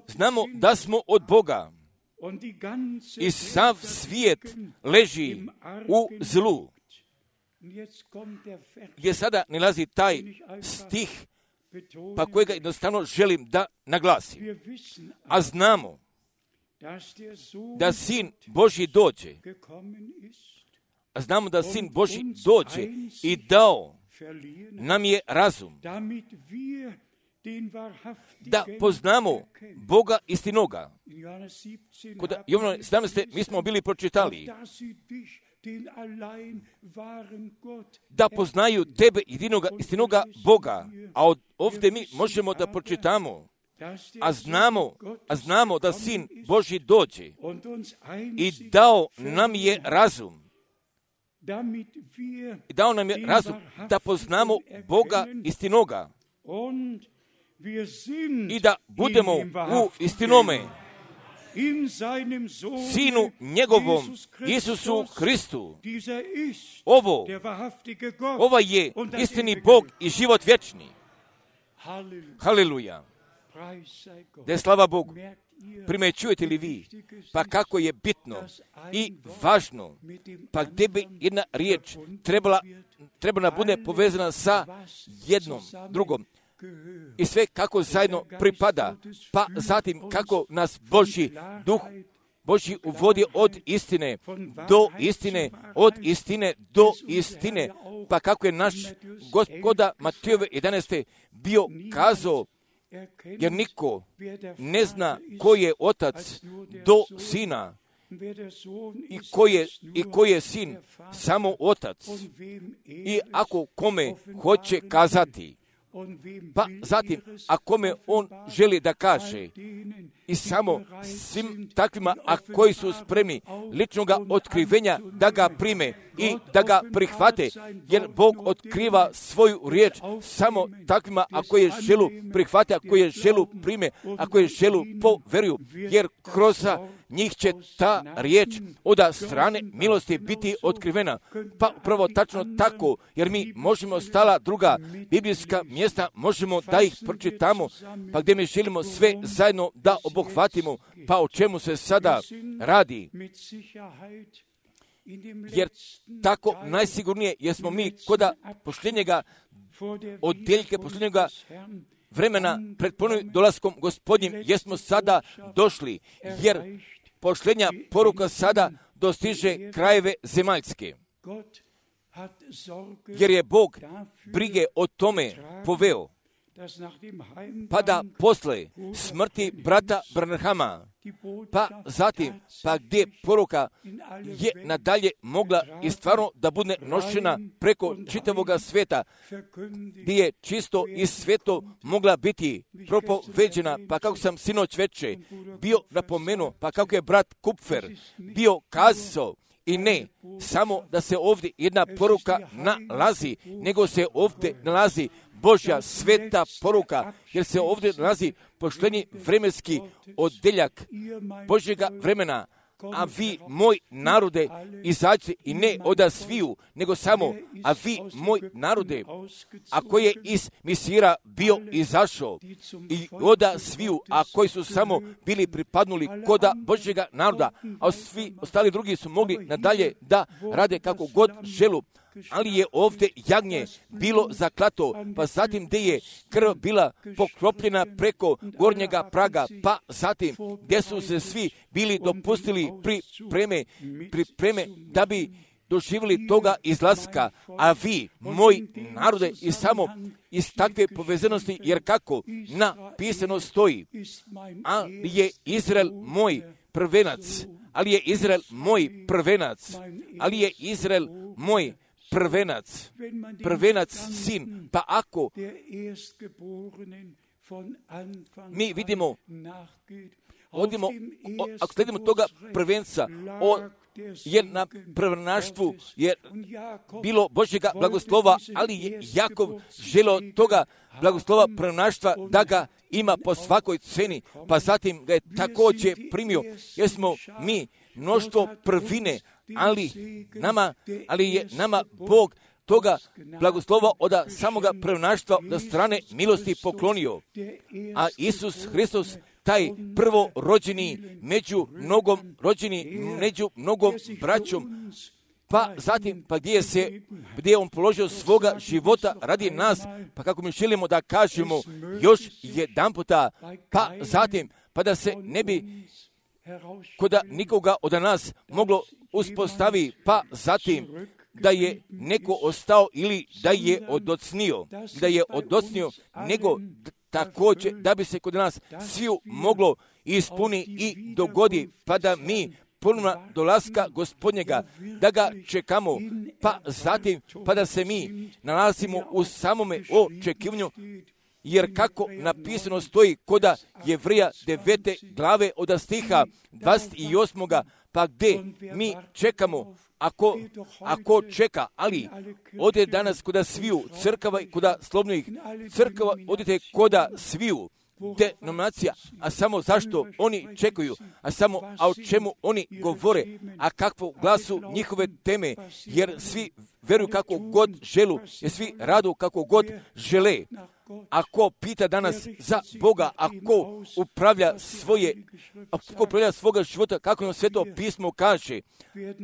Znamo da smo od Boga i sav svijet leži u zlu. Gdje sada nalazi taj stih, pa kojega jednostavno želim da naglasim. A znamo da Sin Božji dođe. A znamo da Sin Božji dođe i dao nam je razum, da poznamo Boga istinoga. Kod Jovana 17. mi smo bili pročitali da poznaju tebe jedinoga istinoga Boga, a ovdje mi možemo da pročitamo, a znamo da Sin Božji dođe i dao nam je razum. Dao nam je razum da poznamo Boga istinoga i da budemo u istinome Sinu njegovom, Isusu Hristu. Ovo je istini Bog i život vječni. Haleluja. Da je slava Bogu. Primećujete li vi? Pa kako je bitno i važno, pa gdje bi jedna riječ trebala bude povezana sa jednom, drugom. I sve kako zajedno pripada, pa zatim kako nas Božji duh Božji uvodi od istine do istine, od istine do istine, pa kako je naš Gospoda Matejove 11. bio kazao, jer niko ne zna ko je otac do sina i ko je sin, samo otac. I ako kome hoće kazati, pa zatim, a kome on želi da kaže, i samo svim takvima, a koji su spremni ličnoga otkrivenja da ga prime i da ga prihvate, jer Bog otkriva svoju riječ samo takvima, a koje želu prihvate, a koje želu prime, a koje želu poveruju, jer kroz njih će ta riječ od strane milosti biti otkrivena. Pa upravo tačno tako, jer mi možemo stala druga biblijska mjesta, možemo da ih pročitamo, pa gdje mi želimo sve zajedno da obuhvatimo, pa o čemu se sada radi. Jer tako najsigurnije, jer smo mi koda posljednjega odjeljke, posljednjega vremena pred ponovnim dolaskom Gospodnjim, jer smo sada došli, jer posljednja poruka sada dostiže krajeve zemaljske. Jer je Bog brige o tome poveo, pa da posle smrti brata Branhama, pa zatim, pa gdje poruka je nadalje mogla i stvarno da bude nošena preko čitavoga svijeta, gdje je čisto i sveto mogla biti propoveđena, pa kako sam sinoć veče bio napomenuo, pa kako je brat Kupfer bio kazao, i ne samo da se ovdje jedna poruka nalazi, nego se ovdje nalazi Božja sveta poruka, jer se ovdje nalazi posljednji vremenski odjeljak Božjega vremena. A vi, moj narode, izađite i ne oda sviju, nego samo, a vi, moj narode, a koji je iz Misira bio izašao, i oda sviju, a koji su samo bili pripadnuli koda Božjega naroda, a svi ostali drugi su mogli nadalje da rade kako god želu. Ali je ovdje jagnje bilo zaklato, pa zatim gdje je krv bila poklopljena preko gornjega praga, pa zatim gdje su se svi bili dopustili pripreme da bi doživjeli toga izlaska, a vi, moj narode, i samo iz takve povezanosti, jer kako napisano stoji, ali je Izrael moj prvenac, ali je Izrael moj prvenac, ali je Izrael moj prvenac sin, pa ako mi vidimo, ako sledimo toga prvenca, jer na prvenaštvu je bilo Božjega blagoslova, ali je Jakov želeo toga blagoslova prvenaštva da ga ima po svakoj ceni, pa zatim ga je također primio, jer smo mi mnoštvo prvine, ali je nama Bog toga blagoslova od samoga prvenaštva do strane milosti poklonio. A Isus Hristos, taj prvorođeni među mnogom braćom, pa zatim, pa gdje je on položio svoga života radi nas, pa kako mi želimo da kažemo još jedan puta, pa zatim, pa da se ne bi koda nikoga od nas moglo uspostavi, pa zatim da je neko ostao ili da je odocnio, nego također da bi se kod nas sviju moglo ispuni i dogodi, pa da mi ponovno dolaska Gospodnjega, da ga čekamo, pa zatim, pa da se mi nalazimo u samome očekivanju, jer kako napisano stoji koda Jevreja 9. glave od stiha 28. pa gdje mi čekamo, ako čeka, ali ode danas koda sviju crkava i koda slobodnih crkava, odite koda sviju denominacija, a samo zašto oni čekaju, a o čemu oni govore, a kakvu glasu njihove teme, jer svi veruju kako god želu, jer svi radu kako god žele. Ako pita danas za Boga, ako upravlja svoga života, kako nam Sveto pismo kaže,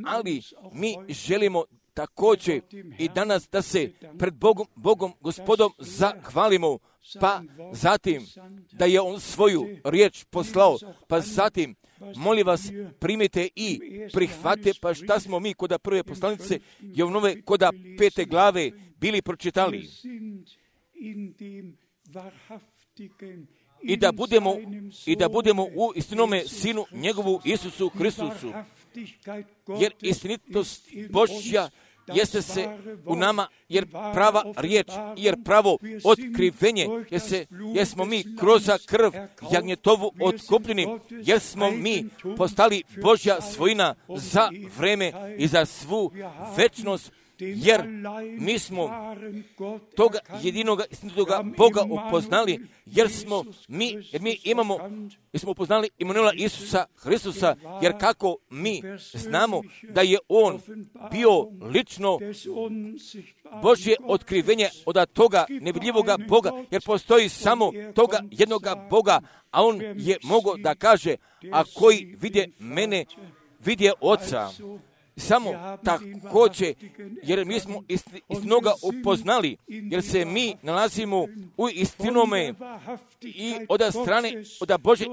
ali mi želimo također i danas da se pred Bogom Gospodom zahvalimo, pa zatim da je On svoju riječ poslao, pa zatim molim vas primite i prihvate, pa šta smo mi koda prve poslanice Jovnove koda 5. glave bili pročitali. I da budemo u istinome Sinu njegovu Isusu Hristusu, jer istinitost Božja jeste se u nama, jer prava riječ, jer pravo otkrivenje, jer smo mi kroz krv jagnjetovu otkupljeni, jer smo mi postali Božja svojina za vreme i za svu večnost, jer mi smo toga jedinoga istinitoga Boga upoznali, jer smo upoznali Imanuela Isusa Hristusa, jer kako mi znamo da je On bio lično Božje otkrivenje od toga nevidljivoga Boga, jer postoji samo toga jednoga Boga, a On je mogao da kaže, a koji vidje mene, vidje Oca. Samo također, jer mi smo istinoga upoznali, jer se mi nalazimo u istinome i od strane, od Božje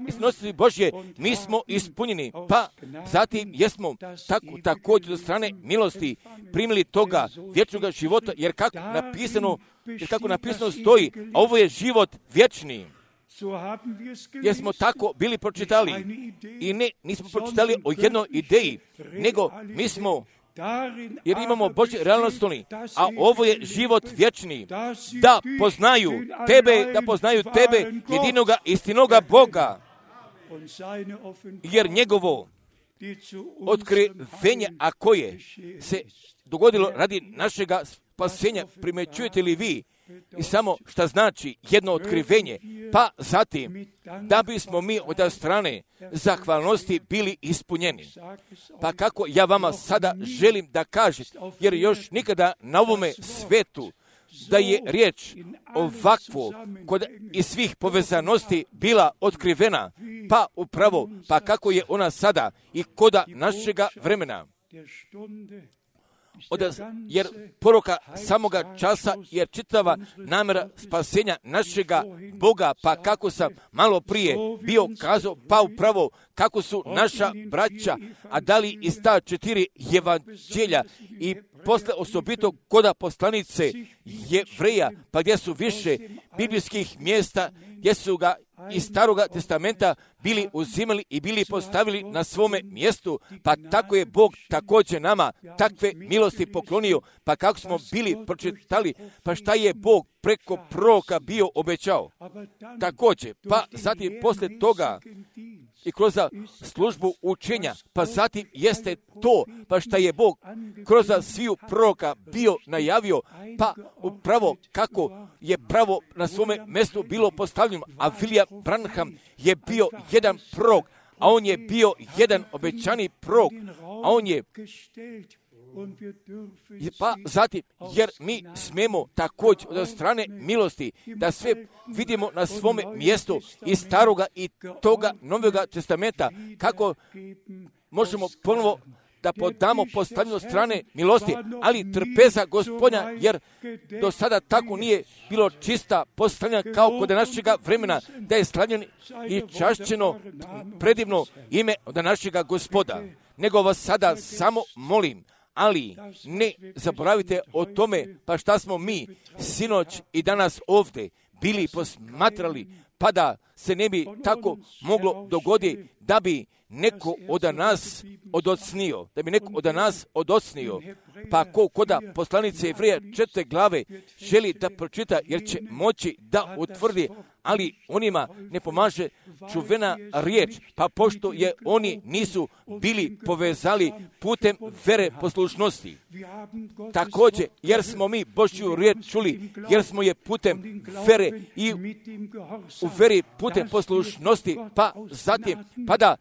istinosti Božje, mi smo ispunjeni, pa zatim jesmo također od strane milosti primili toga vječnoga života, jer kako napisano stoji, a ovo je život vječni. Jer smo tako bili pročitali i nismo pročitali o jednoj ideji, nego mi smo, jer imamo Božje realnosti, a ovo je život vječni, da poznaju tebe, jedinoga istinoga Boga, jer njegovo otkrivenje, a koje se dogodilo radi našega spasenja, primjećujete li vi? I samo šta znači jedno otkrivenje, pa zatim da bismo mi od strane zahvalnosti bili ispunjeni. Pa kako ja vama sada želim da kažem, jer još nikada na ovome svetu da je riječ ovakvo kod iz svih povezanosti bila otkrivena, pa upravo, pa kako je ona sada i koda našega vremena. Jer poruka samoga časa, jer čitava namjera spasenja našega Boga, pa kako sam malo prije bio kazao, pa upravo kako su naša braća, a dali iz ta 4 evanđelja i posle osobito koda poslanice Jevreja, pa gdje su više biblijskih mjesta, gdje su ga iz Staroga testamenta bili uzimali i bili postavili na svome mjestu, pa tako je Bog također nama takve milosti poklonio, pa kako smo bili pročitali, pa šta je Bog preko proroka bio obećao. Također, pa zatim poslije toga i kroz službu učenja, pa zatim jeste to, pa šta je Bog kroz sviju proroka bio najavio, pa upravo kako je pravo na svome mjestu bilo postavljeno, a William Branham je bio jedan prorok, a on je bio jedan obećani prorok, a on je pa zatim, jer mi smemo također od strane milosti da sve vidimo na svome mjestu iz Staroga i toga Novoga testamenta, kako možemo ponovo da podamo postavljeno strane milosti, ali trpeza Gospodnja, jer do sada tako nije bilo čista postavljena kao kod našega vremena, da je slavljeno i čašćeno predivno ime od našega Gospoda. Nego vas sada samo molim, ali ne zaboravite o tome, pa šta smo mi sinoć i danas ovdje bili posmatrali, pa da se ne bi tako moglo dogoditi da bi neko od nas odocnio, pa koda poslanice Jevreja 4. glave želi da pročita, jer će moći da utvrdi, ali onima ne pomaže čuvena riječ, pa pošto je oni nisu bili povezali putem vere poslušnosti. Također, jer smo mi Božju riječ čuli, jer smo je putem vere i u veri putem poslušnosti, pa zatim, pa da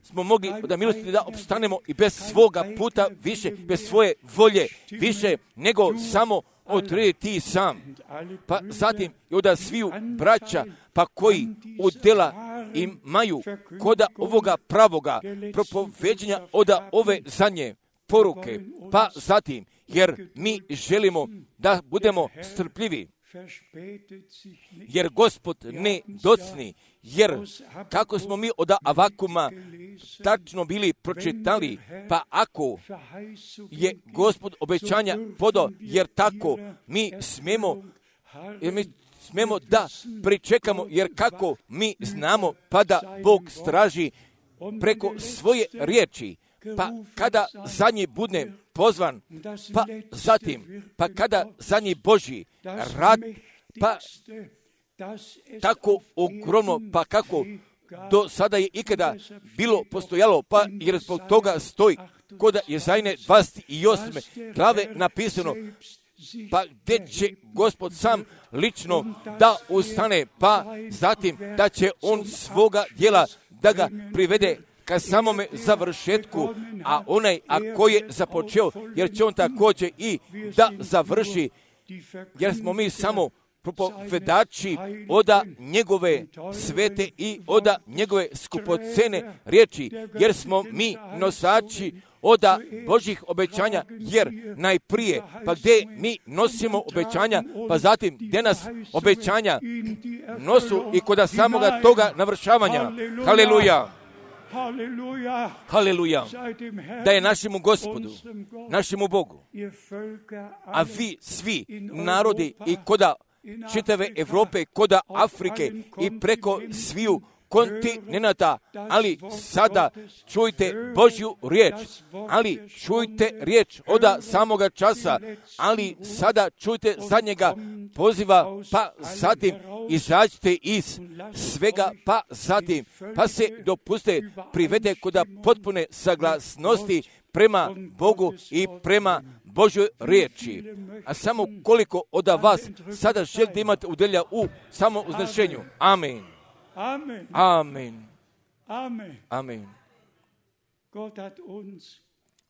smo mogli da milosti da opstanemo i bez svoga puta više, bez svoje volje više, nego samo odrediti sam. Pa zatim i od sviju braća, pa koji udjela imaju koda ovoga pravoga propoveđenja od ove zadnje poruke. Pa zatim, jer mi želimo da budemo strpljivi, jer Gospod ne docni, jer kako smo mi od Avakuma tačno bili pročitali, pa ako je Gospod obećanja podao, jer tako mi smemo da pričekamo, jer kako mi znamo, pa da Bog straži preko svoje riječi, pa kada za njih bude pozvan, pa zatim, pa kada za njih Božji rad, pa tako ogromno, pa kako do sada je ikada bilo postojalo, pa jer zbog toga stoji kod Jezajne 28. glave napisano, pa gdje će Gospod sam lično da ustane, pa zatim da će on svoga djela da ga privede ka samome završetku, a onaj ako je započeo, jer će on također i da završi, jer smo mi samo propovedači oda njegove svete i oda njegove skupocene riječi, jer smo mi nosači oda Božjih obećanja, jer najprije, pa gdje mi nosimo obećanja, pa zatim gdje nas obećanja nosu i kod samoga toga navršavanja. Haleluja! Haleluja! Da je našemu Gospodu, našemu Bogu, a vi svi narodi i koda čitave Evrope, koda Afrike i preko sviju kontinenata, ali sada čujte Božju riječ, ali čujte riječ od samoga časa, ali sada čujte zadnjega poziva, pa zatim izađite iz svega, pa zatim, pa se dopuste privede kod potpune saglasnosti prema Bogu i prema Božoj riječi. A samo koliko od vas sada želite imati udjelja u samouznešenju. Amen. Amen. Amen. Amen. Amen. Gott hat uns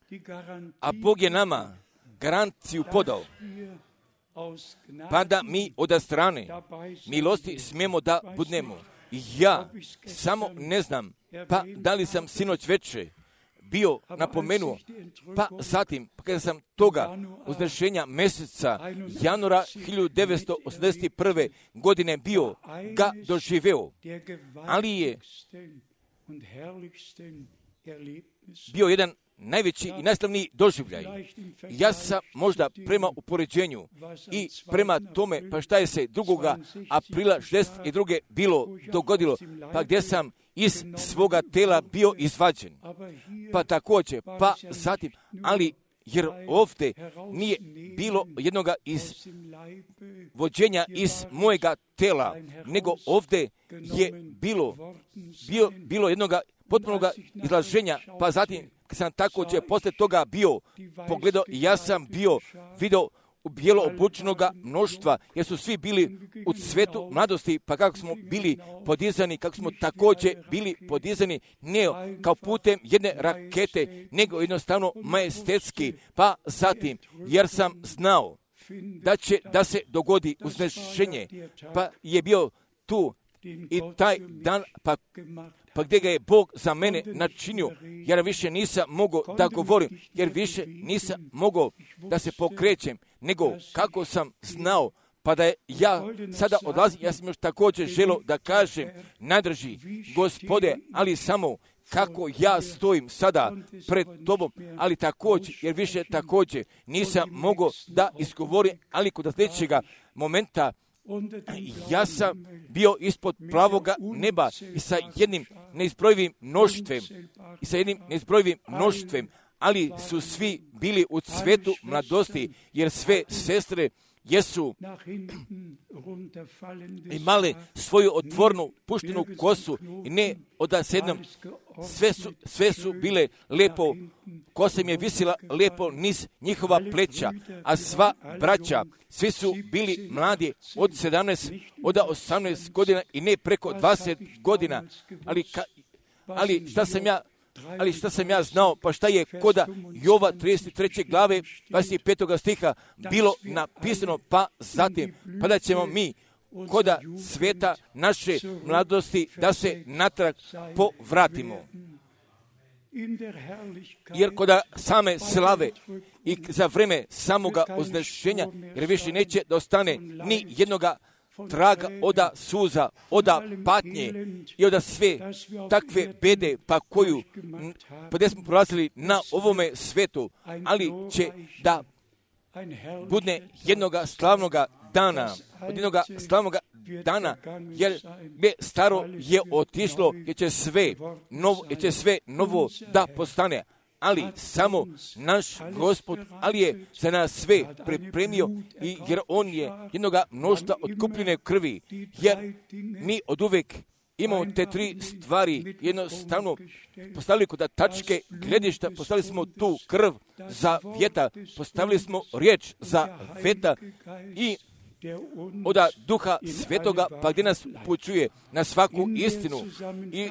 die Garantie, A Bog je nama garanciju podao, aus Gnade pa da mi od strane milosti smijemo da budnemo. Ja samo ne znam, pa da li sam sinoć večer bio napomenuo, pa zatim, kada sam toga uznešenja mjeseca januara 1981. godine bio ga doživeo, ali je bio jedan najveći i najslavniji doživljaj. Ja sam možda prema upoređenju i prema tome, pa šta je se 2. aprila 1962. bilo dogodilo, pa gdje sam iz svoga tela bio izvađen. Pa također, pa zatim, ali jer ovdje nije bilo jednoga vođenja iz mojega tela, nego ovdje je bilo jednoga potpunoga izlaženja, pa zatim kad sam također poslije toga bio pogledao, ja sam bio vidio u bijelo obučenoga mnoštva, jer su svi bili u cvetu mladosti, pa kako smo bili podizani, kako smo također bili podizani, ne kao putem jedne rakete, nego jednostavno majestetski, pa zatim, jer sam znao da će da se dogodi uznešenje, pa je bio tu i taj dan, pa gdje ga je Bog za mene načinio, jer više nisam mogao da govorim, jer više nisam mogao da se pokrećem, nego kako sam znao, pa da ja sada odlazim, ja sam još također želio da kažem, najdrži Gospode, ali samo kako ja stojim sada pred tobom, ali također, jer više također nisam mogao da izgovorim, ali kod sljedećega momenta Ja sam bio ispod pravoga neba i sa jednim neizbrojivim mnoštvem, ali su svi bili u cvetu mladosti, jer sve sestre jesu imale svoju otvornu puštenu kosu i ne odasednom. Sve su bile lepo, kosa im je visila lepo niz njihova pleća, a sva braća, svi su bili mladi od 17, od 18 godina i ne preko 20 godina. Ali šta sam ja znao, pa šta je koda Jova 33. glave 25. stiha bilo napisano, pa zatim, pa da ćemo mi koda sveta naše mladosti da se natrag povratimo. Jer koda same slave i za vreme samoga uznešenja, jer više neće da ostane ni jednoga traga oda suza, oda patnje i oda sve takve bede pa gdje smo prolazili na ovome svetu, ali će da bude jednoga slavnoga dana, jer staro je otišlo, jer će sve novo da postane. Ali samo naš Gospod, ali je za nas sve pripremio, jer on je jednoga mnoštva otkupljene krvi, jer mi od uvek imamo te tri stvari, jednostavno postavili kod tačke gledišta, postavili smo tu krv za vjeta, postavili smo riječ za vjeta i od Duha Svetoga, pa gdje nas upućuje na svaku istinu i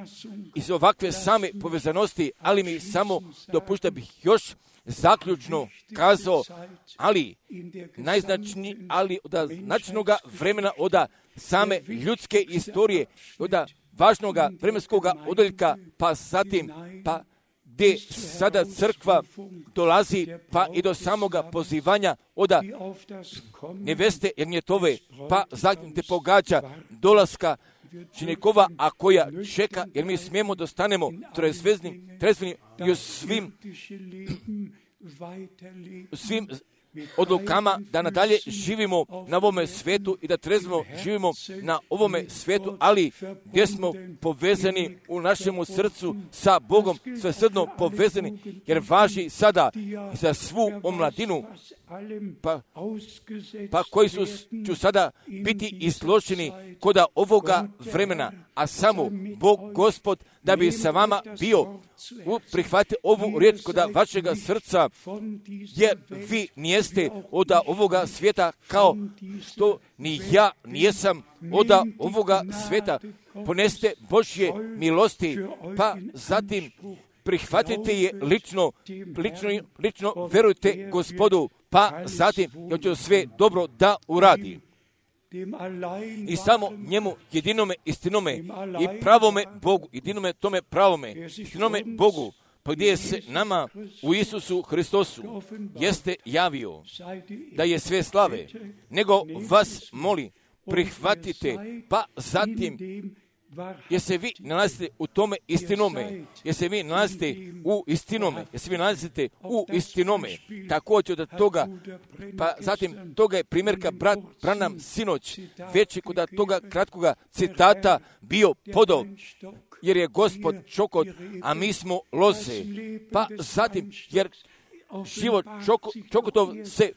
iz ovakve same povezanosti, ali mi samo dopušta bih još zaključno kazao, ali od značajnoga vremena, od same ljudske istorije, od važnoga vremenskog odeljka, pa zatim, pa gdje sada crkva dolazi pa i do samoga pozivanja od neveste Ernjetove, pa zatim te pogađa dolaska ženikova, a koja čeka, jer mi smijemo da stanemo trezveni i u svim odlukama da nadalje živimo na ovome svetu i da trezveno živimo na ovome svetu, ali gdje smo povezani u našemu srcu sa Bogom, svesrdno povezani, jer važi sada za svu omladinu, pa koji ću sada biti izloženi kod ovoga vremena, a samo Bog Gospod da bi sa vama bio, prihvatite ovu riječ kod vašega srca, jer vi nijeste od ovoga svijeta, kao što ni ja nijesam od ovoga svijeta. Poneste Božje milosti, pa zatim prihvatite je lično verujte Gospodu, pa zatim jer će sve dobro da uradi. I samo njemu jedinome istinome i pravome Bogu, jedinome tome pravome istinome Bogu, pa gdje se nama u Isusu Hristosu jeste javio da je sve slave, nego vas moli, prihvatite, pa zatim jer se vi nalazite u tome istinome, jer se vi nalazite u istinome, također od toga, pa zatim toga je primjerka brat Branham sinoć, već je kod toga kratkoga citata bio podov, jer je Gospod čokot, a mi smo loze, pa zatim, jer život čokotov se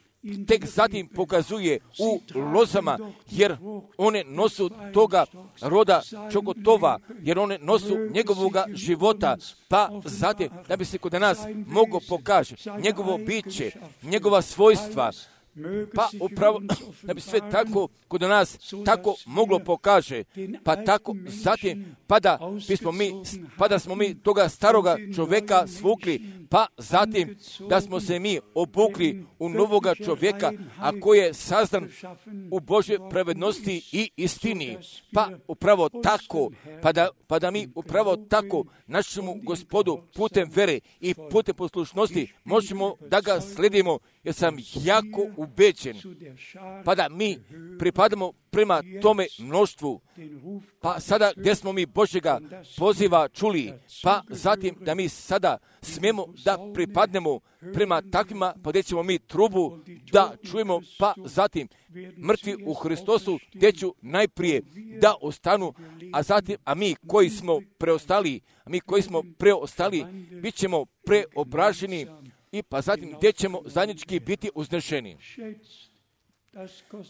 tek zatim pokazuje u lozama, jer one nosu toga roda čokotova, jer one nosu njegovoga života, pa zatim da bi se kod nas moglo pokaže njegovo biće, njegova svojstva, pa upravo da bi sve tako kod nas tako moglo pokaže, pa tako zatim pa da smo mi toga staroga čovjeka svukli, pa zatim da smo se mi obukli u novoga čovjeka, a koji je sazdan u Božje pravednosti i istini, pa upravo tako, pa da mi upravo tako našemu Gospodu putem vere i putem poslušnosti možemo da ga sledimo, jer sam jako ubeđen, pa da mi pripadamo prema tome mnoštvu, pa sada gdje smo mi Božjega poziva čuli, pa zatim da mi sada smijemo da pripadnemo prema takvima, pa gdje ćemo mi trubu da čujemo, pa zatim mrtvi u Hristosu gdje ću najprije da ostanu, a mi koji smo preostali, bit ćemo preobraženi i pa zatim gdje ćemo zajednički biti uznešeni.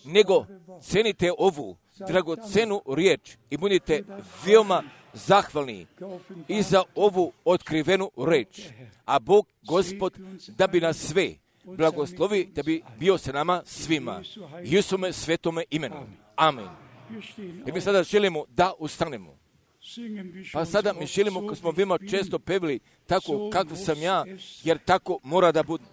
Nego cenite ovu dragocenu riječ i budite veoma zahvalni i za ovu otkrivenu riječ. A Bog, Gospod, da bi nas sve blagoslovi, da bi bio sa nama svima. Isume svetome imenu. Amen. I mi sada želimo da ustanemo. Pa sada mi želimo, kako smo veoma često pevili, tako kako sam ja, jer tako mora da bude.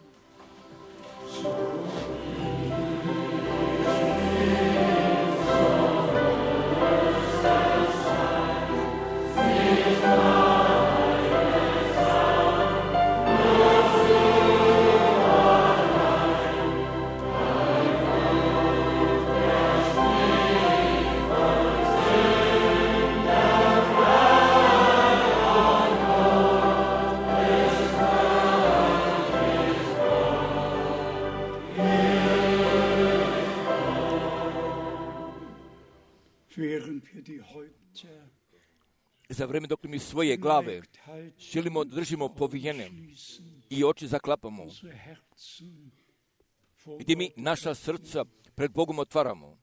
Za vrijeme dok mi svoje glave želimo držimo povijene i oči zaklapamo, gdje mi naša srca pred Bogom otvaramo,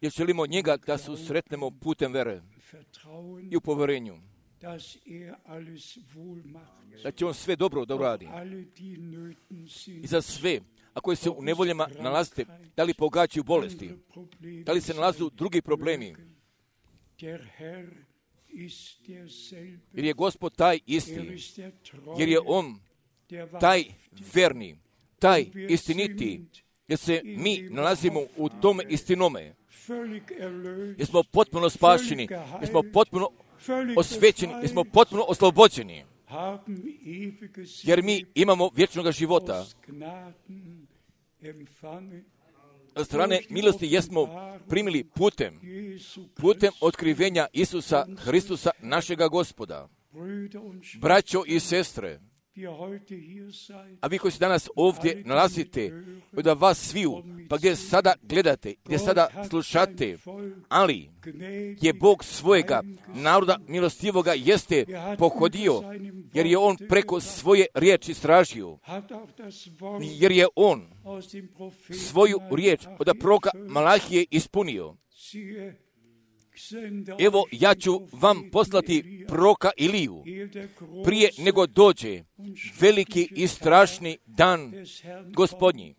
jer želimo njega da susretnemo putem vere i u poverenju, da će on sve dobro da uradi. I za sve, a koji se u nevoljama nalazite, da li pogađaju bolesti, da li se nalazu drugi problemi, jer je Gospod taj isti, jer je on taj verni, taj istiniti, jer se mi nalazimo u tome istinome, jer smo potpuno spašeni, jer smo potpuno osvećeni, jer smo potpuno oslobođeni, jer mi imamo vječnog života. Od strane milosti jesmo primili putem otkrivenja Isusa Hristusa, našega Gospoda. Braćo i sestre, a vi koji se danas ovdje nalazite, da vas sviju, pa gdje sada gledate, gdje sada slušate, ali je Bog svojega naroda milostivoga jeste pohodio, jer je on preko svoje riječi stražio, jer je on svoju riječ od proroka Malahije ispunio. Evo, ja ću vam poslati proroka Iliju prije nego dođe veliki i strašni dan Gospodnji.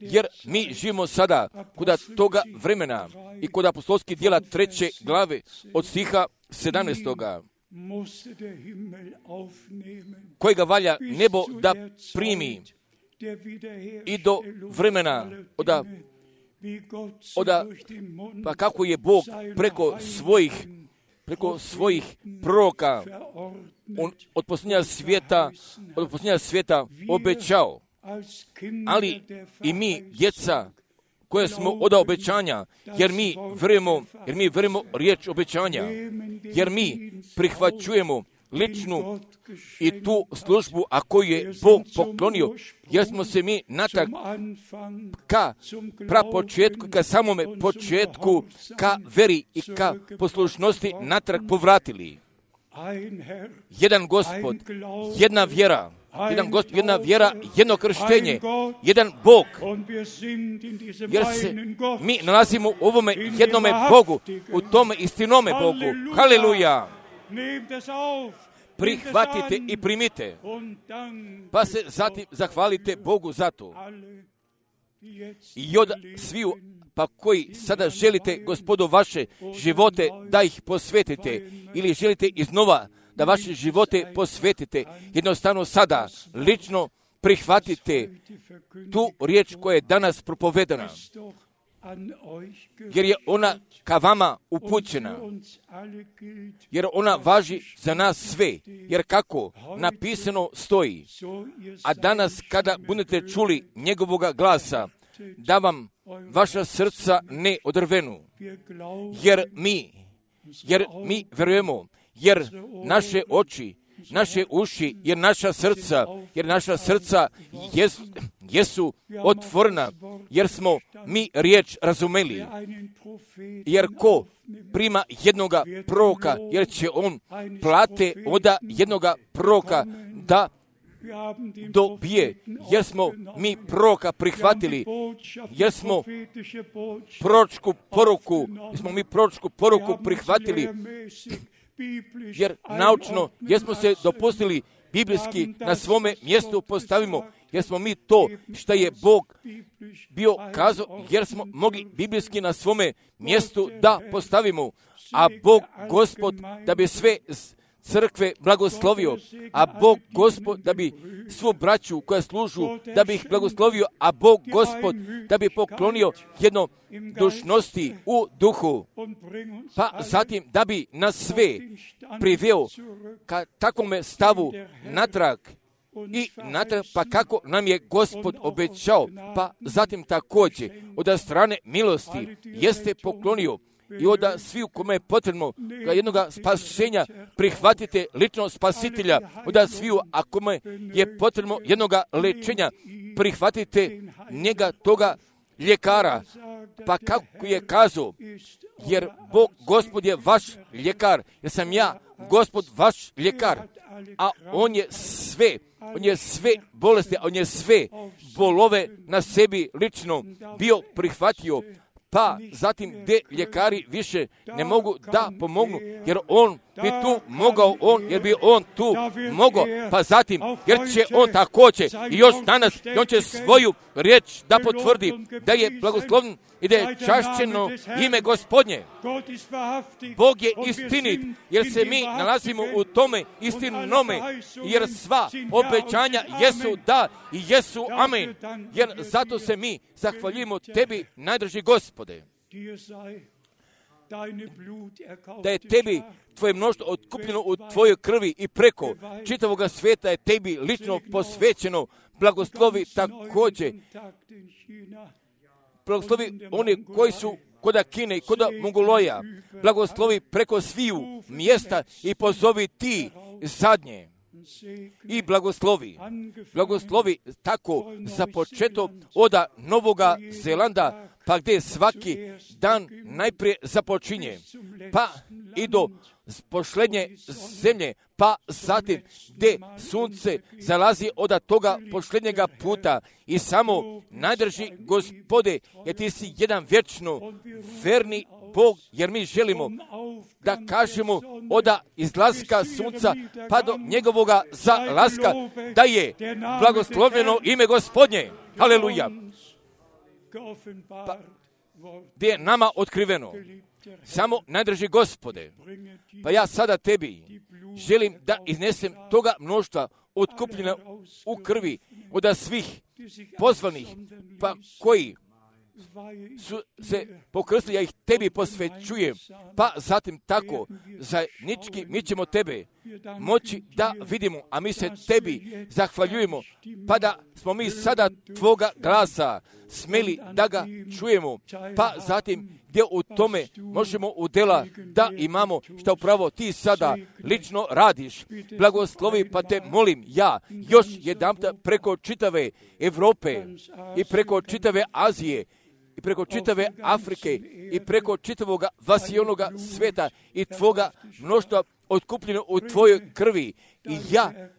Jer mi živimo sada kod toga vremena i kod apostolskih djela 3. glave od stiha 17. kojega valja nebo da primi i do vremena pa kako je Bog preko svojih proroka od posljednja svijeta obećao. Ali i mi, djeca, koje smo od obećanja, jer mi verujemo riječ obećanja, jer mi prihvaćujemo ličnu i tu službu, a koju je Bog poklonio, jer smo se mi natrag ka prapočetku, ka samome početku, ka veri i ka poslušnosti natrag povratili. Jedan Gospod, jedna vjera, jedna vjera, jedno krštenje, jedan Bog, jer se mi nalazimo u ovome jednome Bogu, u tome istinome Bogu. Haleluja! Prihvatite i primite, pa se zatim zahvalite Bogu za to. I od sviju, pa koji sada želite, Gospodu, vaše živote da ih posvetite, ili želite iznova da vaše živote posvetite, jednostavno sada lično prihvatite tu riječ koja je danas propovedana, jer je ona ka vama upućena, jer ona važi za nas sve, jer kako napisano stoji, a danas kada budete čuli njegovoga glasa, da vam vaša srca ne odrvenu, jer mi verujemo, jer naše oči, naše uši, jer naša srca jesu otvorena, jer smo mi riječ razumeli, jer ko prima jednoga proroka, jer će on plate oda jednoga proroka da dobije, jer smo mi proroka prihvatili, jer smo proročku poruku prihvatili, jer naučno, jer smo se dopustili biblijski na svome mjestu postavimo, jer smo mi to što je Bog bio kazao, jer smo mogli biblijski na svome mjestu da postavimo, a Bog Gospod da bi sve crkve blagoslovio, a Bog Gospod da bi svu braću koja služu, da bi ih blagoslovio, a Bog Gospod da bi poklonio jednodušnosti u duhu, pa zatim da bi nas sve priveo ka takvome stavu natrag, pa kako nam je Gospod obećao, pa zatim također od strane milosti jeste poklonio i od svi u kome je potrebno jednog spasenja prihvatite lično spasitelja, od sviju a kome je potrebno jednog lečenja prihvatite njega toga ljekara, pa kako je kazao, jer Bog Gospod je vaš ljekar, jer sam ja Gospod vaš ljekar, a on je sve bolesti, on je sve bolove na sebi lično bio prihvatio, pa zatim gdje ljekari više ne mogu da pomognu, jer on bi tu mogao, jer bi on tu mogao, pa zatim, jer će on također i još danas, i on će svoju riječ da potvrdi, da je blagoslovn i da je čašćeno ime Gospodnje. Bog je istinit, jer se mi nalazimo u tome istinome, jer sva obećanja jesu da i jesu amen, jer zato se mi zahvaljujemo tebi, najdraži Gospode, da je tebi tvoje mnoštvo otkupljeno u tvojoj krvi i preko čitavoga svijeta je tebi lično posvećeno. Blagoslovi također, blagoslovi oni koji su koda Kine i koda Mongoloja, blagoslovi preko sviju mjesta i pozovi ti zadnje. I blagoslovi tako za početo od Novoga Zelanda, pa gdje svaki dan najprije započinje, pa i do posljednje zemlje, pa zatim gdje sunce zalazi od toga posljednjega puta i samo najdrži Gospode, jer ti si jedan vječno verni Bog, jer mi želimo da kažemo od izlaska sunca pa do njegovoga zalaska da je blagoslovljeno ime Gospodnje. Haleluja. Pa, gdje je nama otkriveno. Samo najdrži Gospode. Pa ja sada tebi želim da iznesem toga mnoštva otkupljena u krvi od svih pozvanih, pa koji su se pokrstili, ja ih tebi posvećujem, pa zatim tako zajednički mi ćemo tebe moći da vidimo, a mi se tebi zahvaljujemo, pa da smo mi sada tvoga glasa smeli da ga čujemo, pa zatim gdje u tome možemo u dela da imamo što upravo ti sada lično radiš. Blagoslovi, pa te molim ja još jedanput preko čitave Europe i preko čitave Azije i preko čitave Afrike i preko čitavoga vasionoga sveta i tvoga mnoštva otkupljeno u tvojoj krvi. I ja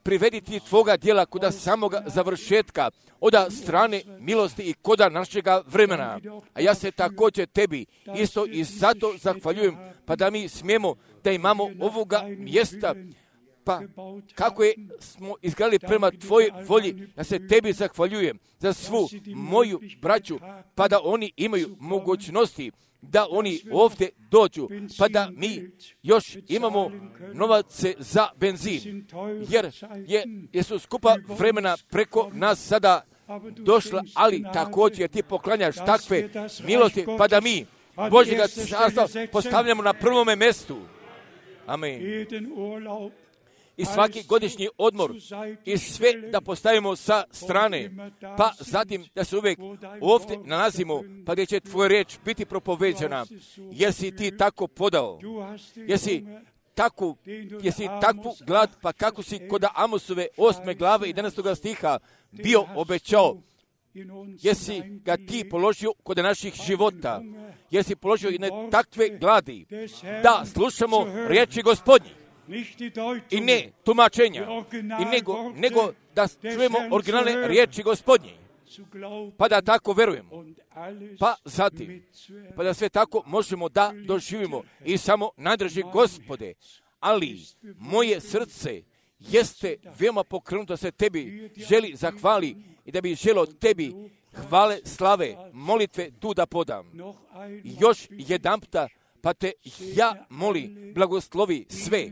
privediti tvoga djela koda samoga završetka, od strane milosti i koda našega vremena. A ja se također tebi isto i zato zahvaljujem, pa da mi smijemo da imamo ovoga mjesta, pa kako je smo izgradili prema tvojoj volji, ja se tebi zahvaljujem za svu moju braću, pa da oni imaju mogućnosti da oni ovdje dođu, pa da mi još imamo novace za benzin, jer su skupa vremena preko nas sada došla, ali također ti poklanjaš takve milosti, pa da mi Božjega carstva postavljamo na prvome mjestu. Amen. i svaki godišnji odmor i sve da postavimo sa strane, pa zatim da se uvijek ovdje nalazimo, pa gdje će tvoja riječ biti propoveđena, jer si ti tako podao, jesi takvu glad, pa kako si kod Amosove 8. glave i 11. stiha bio obećao, jesi ga ti položio kod naših života, jesi položio jedne takve gladi, da slušamo riječi Gospodnji i ne tumačenja, i nego da čujemo originalne riječi Gospodnji, pa da tako verujemo, pa zatim, pa da sve tako možemo da doživimo i samo nadraži Gospode, ali moje srce jeste veoma pokrenuto da se tebi želi zahvali i da bi želo tebi hvale, slave, molitve tu da podam. Još jedanputa, pa te ja molim, blagoslovi sve,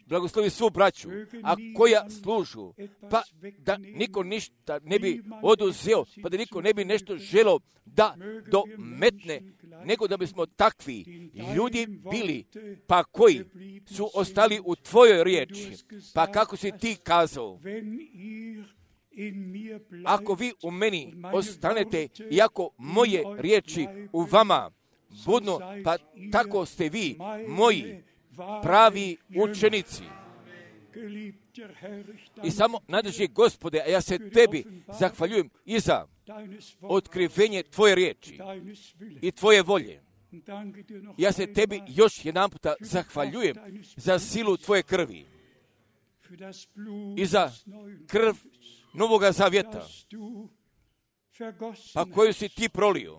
blagoslovi svu braću, a koja služu, pa da niko ništa ne bi oduzeo, pa da niko ne bi nešto želo da dometne, nego da bismo takvi ljudi bili, pa koji su ostali u tvojoj riječi, pa kako si ti kazao, ako vi u meni ostanete i ako moje riječi u vama budno, pa tako ste vi moji pravi učenici. I samo nadrži Gospode, a ja se tebi zahvaljujem i za otkrivenje tvoje riječi i tvoje volje. Ja se tebi još jedan puta zahvaljujem za silu tvoje krvi i za krv Novoga Zavjeta, pa koju si ti prolio.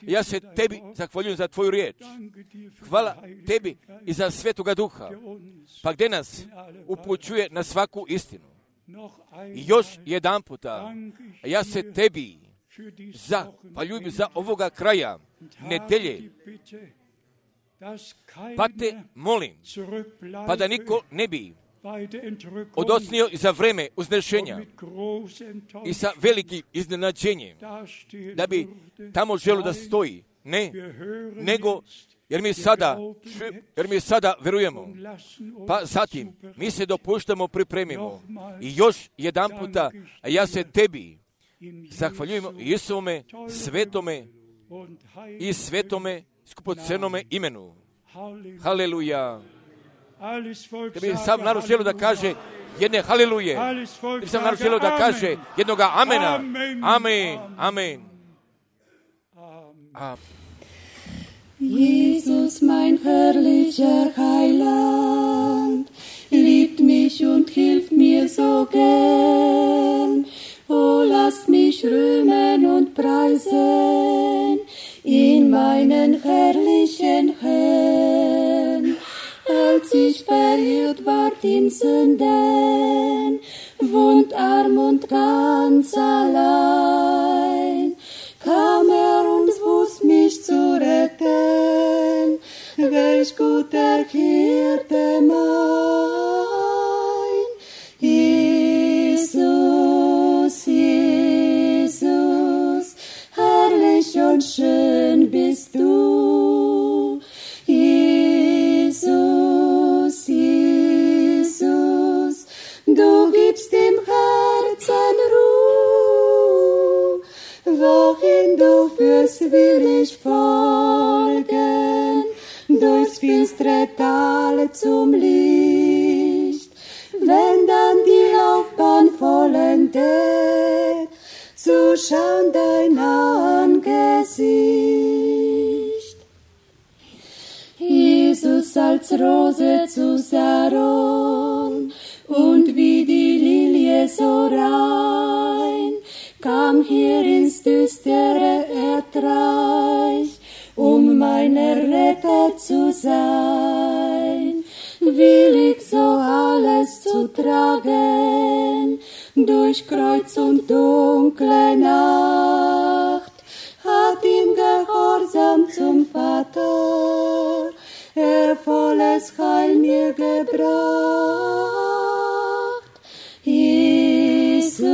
Ja se tebi zahvaljujem za tvoju riječ. Hvala tebi i za Svetoga Duha, pa gdje nas upućuje na svaku istinu. I još jedan puta, ja se tebi zahvaljujem za ovoga kraja nedelje, pa te molim, pa da niko ne bi odocnio za vreme uznešenja i sa velikim iznenađenjem, da bi tamo želo da stoji. Ne, nego jer mi sada verujemo, pa zatim mi se dopuštamo, pripremimo. I još jedan puta, a ja se tebi zahvaljujemo Isuvome svetome i svetome skupocenome imenu. Haleluja. Da bi sam narod želio da kaže jedne haliluje, da bi sam narod želio da kaže jednoga amena. Amen, amen. Jesus, mein herrlicher Heiland, liebt mich und hilft mir so gern. Oh, lasst mich rühmen und preisen in meinen herrlichen Herrn. Als ich verirrt ward in Sünden, wohnt arm und ganz allein, kam und wusst mich zu retten, welch guter Hirte mein. Jesus, Jesus, herrlich und schön bist du. Jesus, Jesus, du gibst dem Herzen Ruhe, wohin du führst, will ich folgen, durchs finstere Tal zum Licht, wenn dann die Laufbahn vollendet, zu schauen dein Angesicht. Jesus als Rose zu Saron und wie die Lilie so rein, kam hier ins düstere Erdreich, mein Erretter zu sein. Willig so alles zu tragen, durch Kreuz und dunkle Nacht, hat ihm Gehorsam zum Vater volles Heil mir gebracht. Jesus,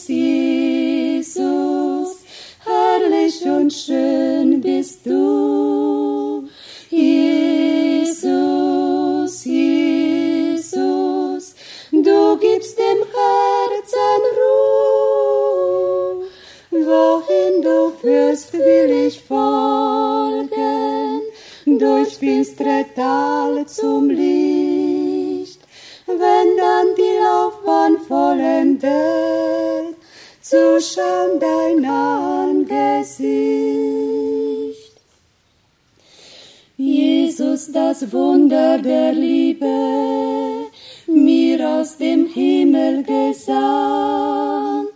Jesus, herrlich und schön bist du. Jesus, Jesus, führst, will ich folgen, durch finstere Tal zum Licht. Wenn dann die Laufbahn vollendet, zu schauen dein Angesicht. Jesus, das Wunder der Liebe, mir aus dem Himmel gesandt,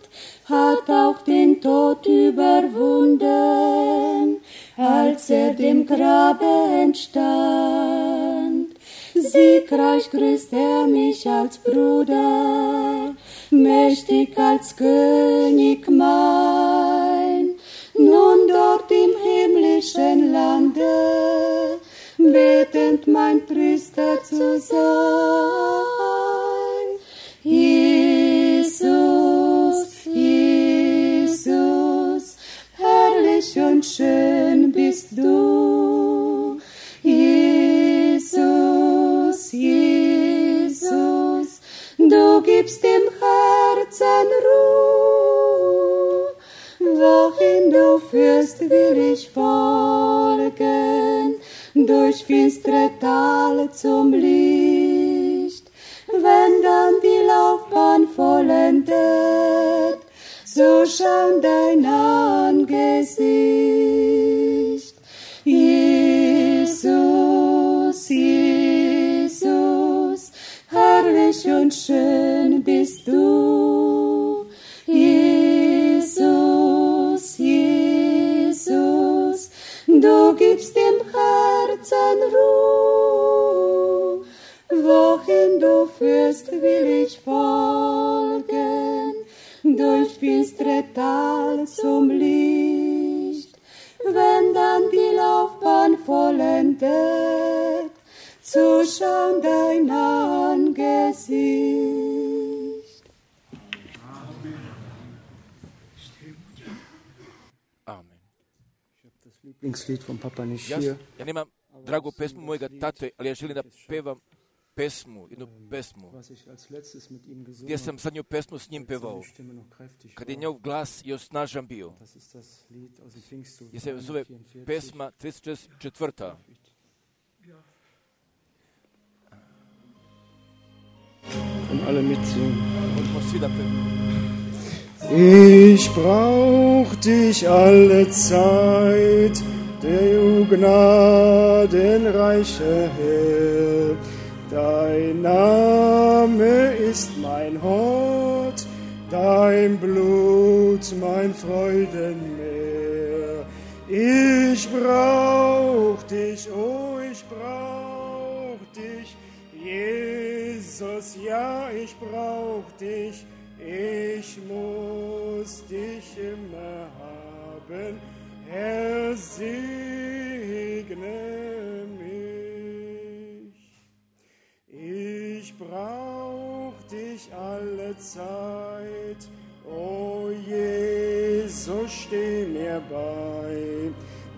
hat auch den Tod überwunden, als dem Grabe entstand. Siegreich grüßt mich als Bruder, mächtig als König mein. Nun dort im himmlischen Lande, betend mein Priester zu sein. Jesus, Jesus, herrlich und schön bist du. Jesus, Jesus, du gibst dem Herzen Ruhe. Wohin du führst, will ich folgen, durch finstere Tal zum Licht. Wenn dann die Laufbahn vollendet, so schauen dein Angesicht. Jesus, Jesus, herrlich und schön bist du. Jesus, Jesus, du gibst dem Herzen Ruhe. Wohin du führst, will ich folgen, durch finstere Tal zum Licht. Wenn dann die Laufbahn vollendet, zu schauen dein Angesicht. Amen. Das Lieblingslied von Papa nicht Ja, hier. ja nemam dragu pesmu mojega tate, ali ja želim da pevam pesmu, jednu pesmu, Was ich als letztes mit ihm gesungen gdje sam zadnju pesmu s njim habe, pevao, seine Stimme noch kräftig kad je war. njegov glas još snažan bio. Das ist das Lied aus dem Pfingstlied Gdje se zove 44. pesma 34. Können alle mitsingen. Možemo svi da pevamo. Ich brauch dich alle Zeit, du gnadenreiche Herr. Dein Name ist mein Hort, dein Blut mein Freudenmeer. Ich brauch dich, oh ich brauch dich, Jesus, ja ich brauch dich. Ich muss dich immer haben, Herr, segne mich. Ich brauch dich alle Zeit, o Jesus, steh mir bei,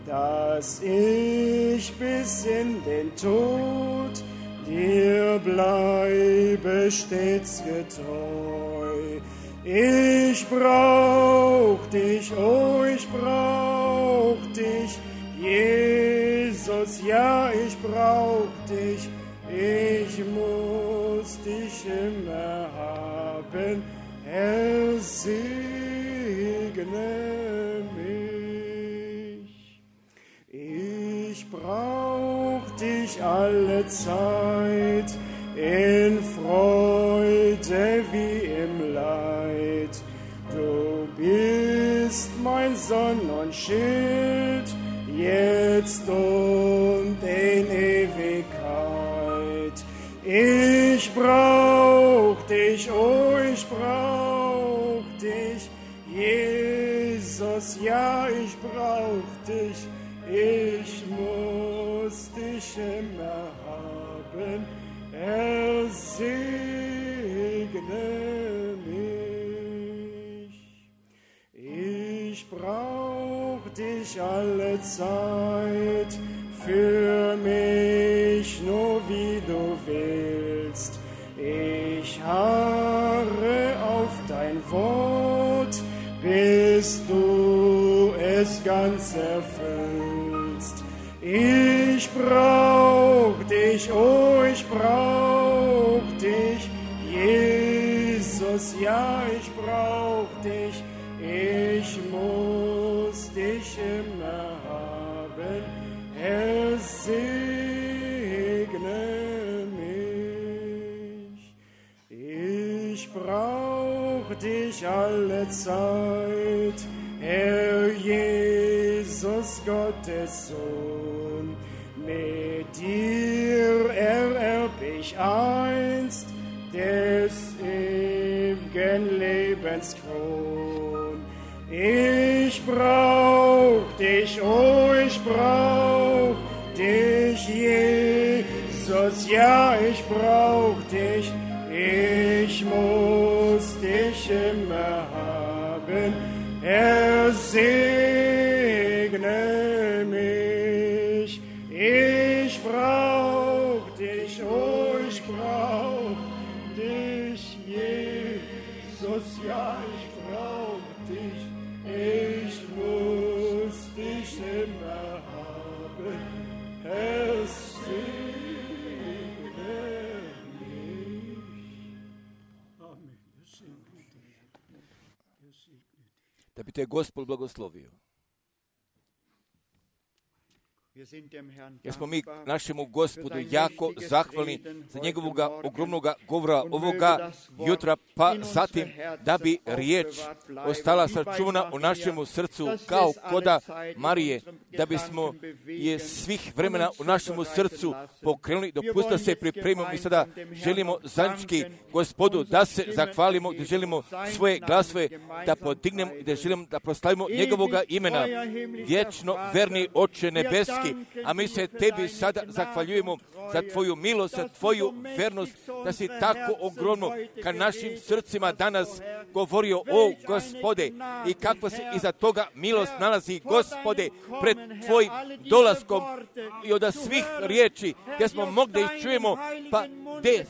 dass ich bis in den Tod dir bleibe stets getreu. Ich brauch dich, oh ich brauch dich, Jesus, ja ich brauch dich, ich muss dich immer haben, Herr, segne mich. Ich brauch dich alle Zeit, in Freude wie im Leid. Du bist mein Sonn und Schild, jetzt und in Ewigkeit. Ich brauch dich, oh ich brauch dich, Jesus, ja ich brauch dich, ich muss dich immer haben, Herr, segne mich. Ich brauch dich alle Zeit, für mich nur wie du willst. Ich harre auf dein Wort, bis du es ganz erfüllst. Ich brauch dich, oh, ich brauch dich, Jesus, ja, ich brauch dich, ich muss dich immer haben, Herr, segne mich. Ich brauch dich alle Zeit, Herr Jesus, Gottes Sohn. Mit dir ererb ich einst des ewigen Lebens Kron. Ich brauch dich, oh, ich brauch dich, Jesus, ja, ich brauch dich, ich muss dich immer haben, Herr, segne mich. Ich brauch dich, oh, ich brauch dich, Jesus, ja, ich brauch dich, ich muss dich immer haben, Herr, segne mich. Amen. Da bi te Gospod blagoslovio. Jer smo mi našemu Gospodu jako zahvalni za njegovog ogromnog govora ovoga jutra, pa zatim da bi riječ ostala sačuvana u našemu srcu kao koda Marije, da bismo je svih vremena u našemu srcu pokrenuli. Dopustite da se pripremimo i sada želimo zajednički Gospodu da se zahvalimo, da želimo svoje glasove da podignemo i da želimo da proslavimo njegovoga imena. Vječno verni Oče nebeski, a mi se tebi sada zahvaljujemo za tvoju milost, za tvoju vernost, da si tako ogromno ka našim srcima danas govorio, o Gospode, i kakva se iza toga milost nalazi, Gospode, pred tvojim dolaskom i od svih riječi gdje smo mogli da ih čujemo, pa gdje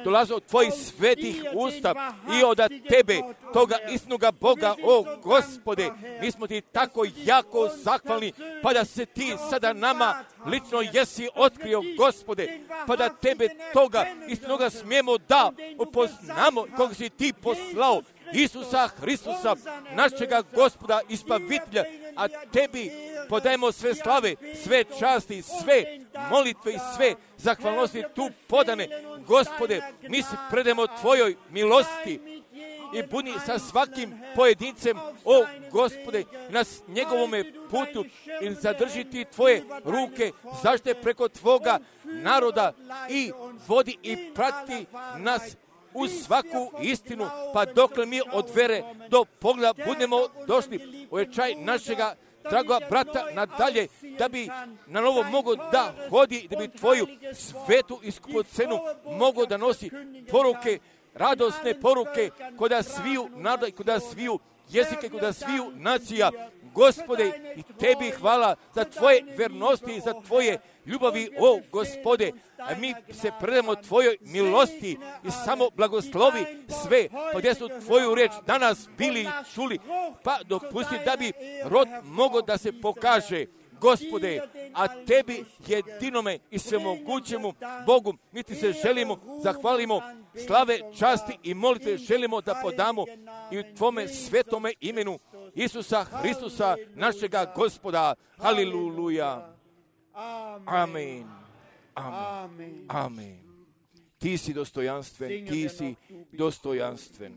dolaze od tvojih svetih usta i od tebe, toga istinoga Boga, o Gospode, mi smo ti tako jako zahvalni, pa da se ti sada nama lično jesi otkrio, Gospode, pa da tebe toga istinoga smijemo da upoznamo koga si ti poslao, Isusa Hristusa, našega Gospoda i Spavitelja, a tebi podajemo sve slave, sve časti, sve molitve i sve zahvalnosti tu podane, Gospode, mi se predemo tvojoj milosti i budi sa svakim pojedincem, o Gospode, na njegovome putu i zadržiti tvoje ruke, zaštite preko tvoga naroda i vodi i prati nas u svaku istinu, pa dokle mi od vere do pogleda budemo došli, ojačaj našega dragoga brata nadalje, da bi na novo mogo da hodi, da bi tvoju svetu i skupocenu mogo da nosi poruke, radosne poruke, koda sviju naroda i koda sviju jezike, koda sviju nacija. Gospode, i tebi hvala za tvoje vernosti, za tvoje ljubavi, o Gospode, a mi se predamo tvojoj milosti i samo blagoslovi sve, pa gdje su tvoju riječ danas bili i čuli, pa dopusti da bi rod mogo da se pokaže, Gospode, a tebi jedinome i svemogućemu Bogu mi ti se želimo, zahvalimo, slave, časti i molitve želimo da podamo i u tvome svetome imenu Isusa Hristusa, našega Gospoda. Haliluja. Amen. Amen. Amen. Ti si dostojanstven, ti si dostojanstven.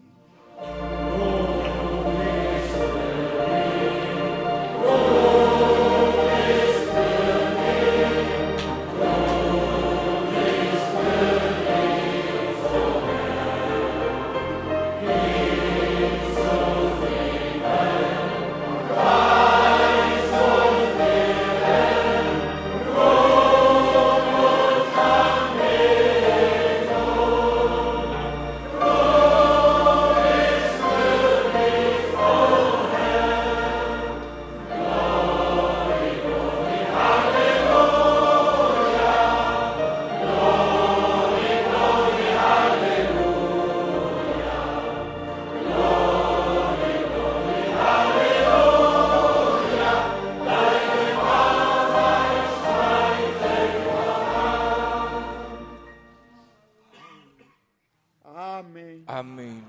Amen.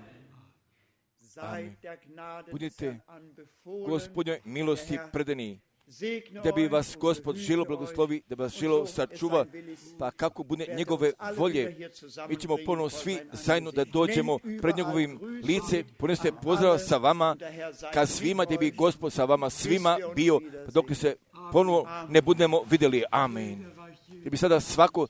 Seid der Gnade des Budite Herrn anbefohlen. Gospodnjoj milosti predani, Segne da bi euch vas und Gospod behüte žilo euch. blagoslovi, da vas Und žilo so es sačuva, sein will ist, pa kako bude werden njegove uns alle volje, wieder hier mi ćemo zusammenbringen ponovo vor svi sein zajedno da Angesicht. dođemo Nennt pred überall njegovim Grüße lice, poneste an pozdrav alle sa vama, und der Herr sei ka mit svima, da bi euch, Gospod sa vama svima bis wir uns bio, wiedersehen. dok se ponovo ne budemo vidjeli. Amen. Da bi sada svako